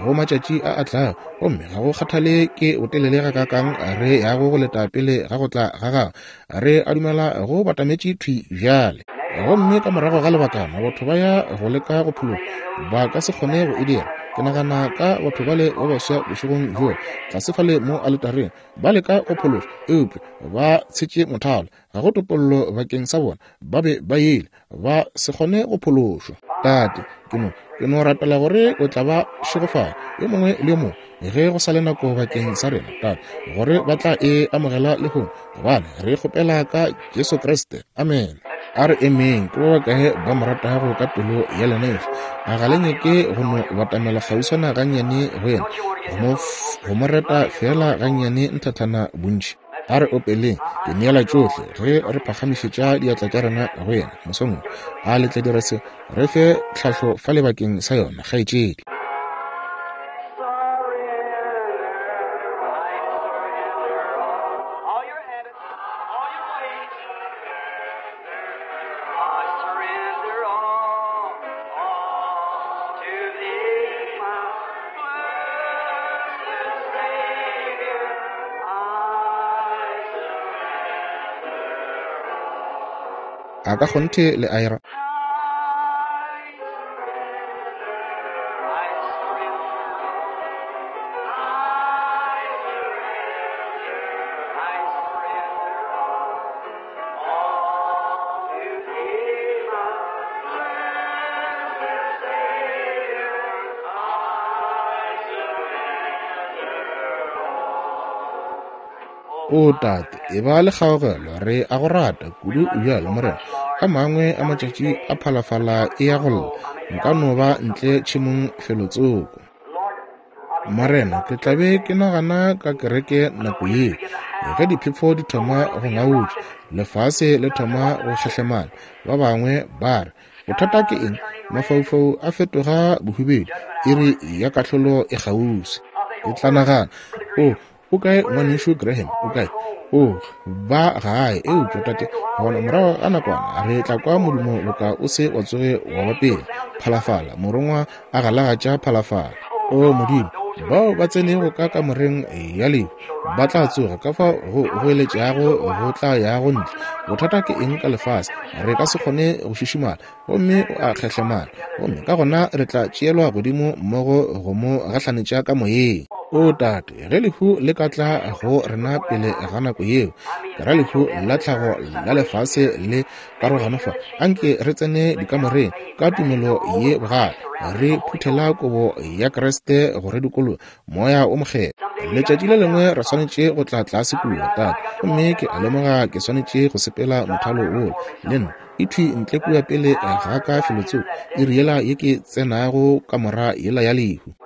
go matšatši a a tlago. Gomme ga go kgathale ke botelele gakaakang re yago go leta pele ga go tla ga gago, re a dumela go batametše thwi bjale. Gomme ka morago ga lebakana batho ba ya go leka go phologa, ba ka se kgone go e dira. Ke nagana ka batho bale ba baswa bošegong bjo, tlase fale mo aletareng, ba leka go phološa, eupša ba tshetše mothalo. Ga go topollo bakeng sa bona. Ba be ba ile ba se kgone go phološwa. Tate, ke no, ke no rapela gore o tla ba šegofatša, yo mongwe le yo mongwe, ge go sa le nako bakeng sa rena, Tate, gore ba tla e amogela lehono, gobane re kgopela ka Jesu Kriste. Amen. A re emeng. Ke ba bakae ba mo ratago ka pelo ya lena yohle? A ga le nyake go no batamela kgauswana gannyane go yena, go mo reta feela gannyane nthathana bontši? A re opeleng, Ke neela tšohle, ge re phagamišetša diatla tša rena go yena mosong wo. A le tla dira se? Re fe tlhahlo fa lebakeng sa yona, kgaetšedi. A ka kgonthe le a ira? O Tate, e ba le kgaogelo, re a go rata kudu bjalo, Morena. A mangwe a matšatši a phalafala e ya go lla, nka no ba ntle tšhemong felotsoko. Morena, ke tla be ke nagana ka kereke nako yeo, ge diphefo di thoma go ngautša, lefase le thoma go šehlemana. Ba bangwe ba re, Bothata ke eng? Mafaufau a fetoga bohubedu, iri ya kahlolo e kgauswi. Ke tla nagana, O, o kae Ngwanešu Graham? O kae? O, ba gae. Eupša, Tate, gona morago ga nakwana re tla kwa modumo boka o se wa tsoge wa ba pele, phalafala, morongwa a galagatša phalafala. O Modimo, bao ba tsenego ka kamoreng ya lehu ba tla tsoga, ka fao go goeletšago go tla yago ntle. Bothata ke eng ka lefase? Re ka se kgone go šišimala, gomme o a kgehlemana, gomme ka gona re tla tšeelwa godimo mmogo go mo gahlanetša ka moyeng. O Tate, ge lehu le ka tla go rena pele ga nako yeo, ke ra lehu la tlhago la lefase le karogano fa, anke re tsene dikamoreng ka tumelo ye bogale, re phuthela kobo ya Kriste go re dikologa, Moya o Mokgethwa. Letšatši le lengwe re swanetše go tla tlase kua, Tate, gomme ke a lemoga ke swanetše go sepela mothalo wola le nna. E thwi ntle kua pele ga ka felotsoko, iri yela ye ke tsenago kamora yela ya lehu.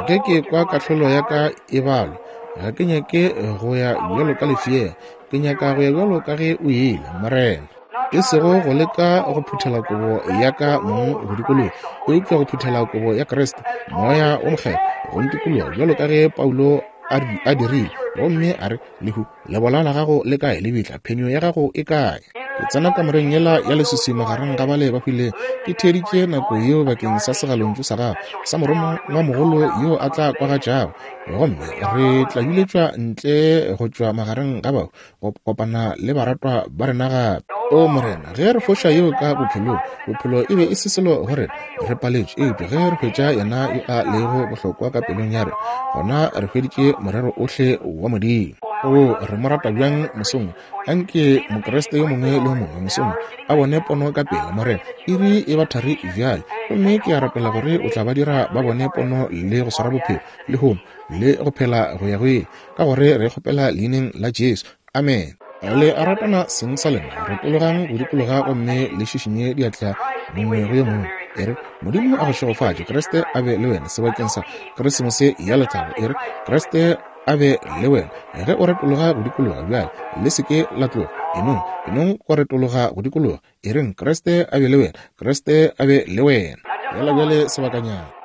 Ge ke kwa kahlolo ya ka e balwa, ga ke nyake go ya bjalo ka lefeela, ke nyaka go ya bjalo ka ge o ile, Morena. E sego go leka go phuthela kobo ya ka mong go dikologa, eupša go phuthela kobo ya Kriste, Moya wo Mokgethwa, go ntikologa bjalo ka ge Paulo a dirile, gomme a re, Lehu, lebola la gago le kae? Lebitla, phenyo ya gago e kae? Ke tsena kamoreng yela ya leswiswi magareng ga bale ba hwilego. Ke theeditše nako yeo bakeng sa segalontšu sa gago sa morongwamogolo yo a tla kwagatšago, gomme re tla biletšwa ntle go tšwa magareng ga bahu go kopana le baratwa ba rena gape. O Morena, ge re foša yeo ka bophelong, bophelo e be e se selo go rena, re paletšwe. Eupša ge re hwetša yena yo a lego bohlokwa ka pelong ya rena, gona re hweditše morero ohle wa Modimo. O, re mo rata bjang mosong. Anke Mokriste yo mongwe le yo mongwe mosong a bone pono ka pela, Morena. Iri e ba thari bjale, gomme ke a rapela gore o tla ba dira ba bone pono le go swara bophelo lehono le go phela go ya go ile, ka gore re kgopela leineng la Jesu. Amen. Le a ratana seng sa lena, retologang go dikologa gomme le šišinye diatla mongwe go yo mongwe. E re, Modimo a go šegofatše, Kriste a be le wena sebakeng sa Krisemose ya lethabo. E re, Kriste a be le wena ge o retologa go dikologa bjale. Le se ke la tloga. Enong, enong go retologa go dikologa. E reng, Kriste a be le wena, Kriste a be le wena. Bjala bjale sebakanyana.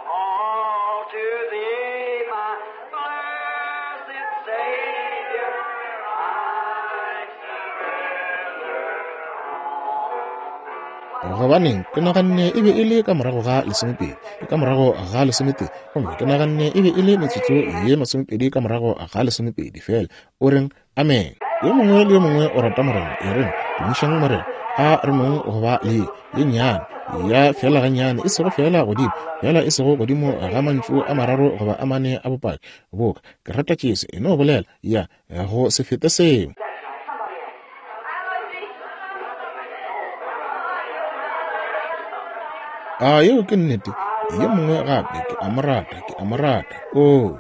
Gobaneng, ke naganne e be e le ka morago ga lesomepedi, ka morago ga lesometee, gomme ke naganne e be e le metsotso ye masomepedi ka morago ga lesomepedi. Feela o reng, Amene. Yo mongwe le yo mongwe o rata Morena, e reng, Tumišang Morena. A re nong go ba le ye nnyane ya feela gannyane, e sego feela godimo, feela e sego godimo ga mantšu a mararo goba a mane a bopaki, boka, Ke rata Jesu, e no bolela, ya, go se fete seo. A yeo ke nnete? Yo mongwe gape, ke a mo rata, ke a mo rata. Oo.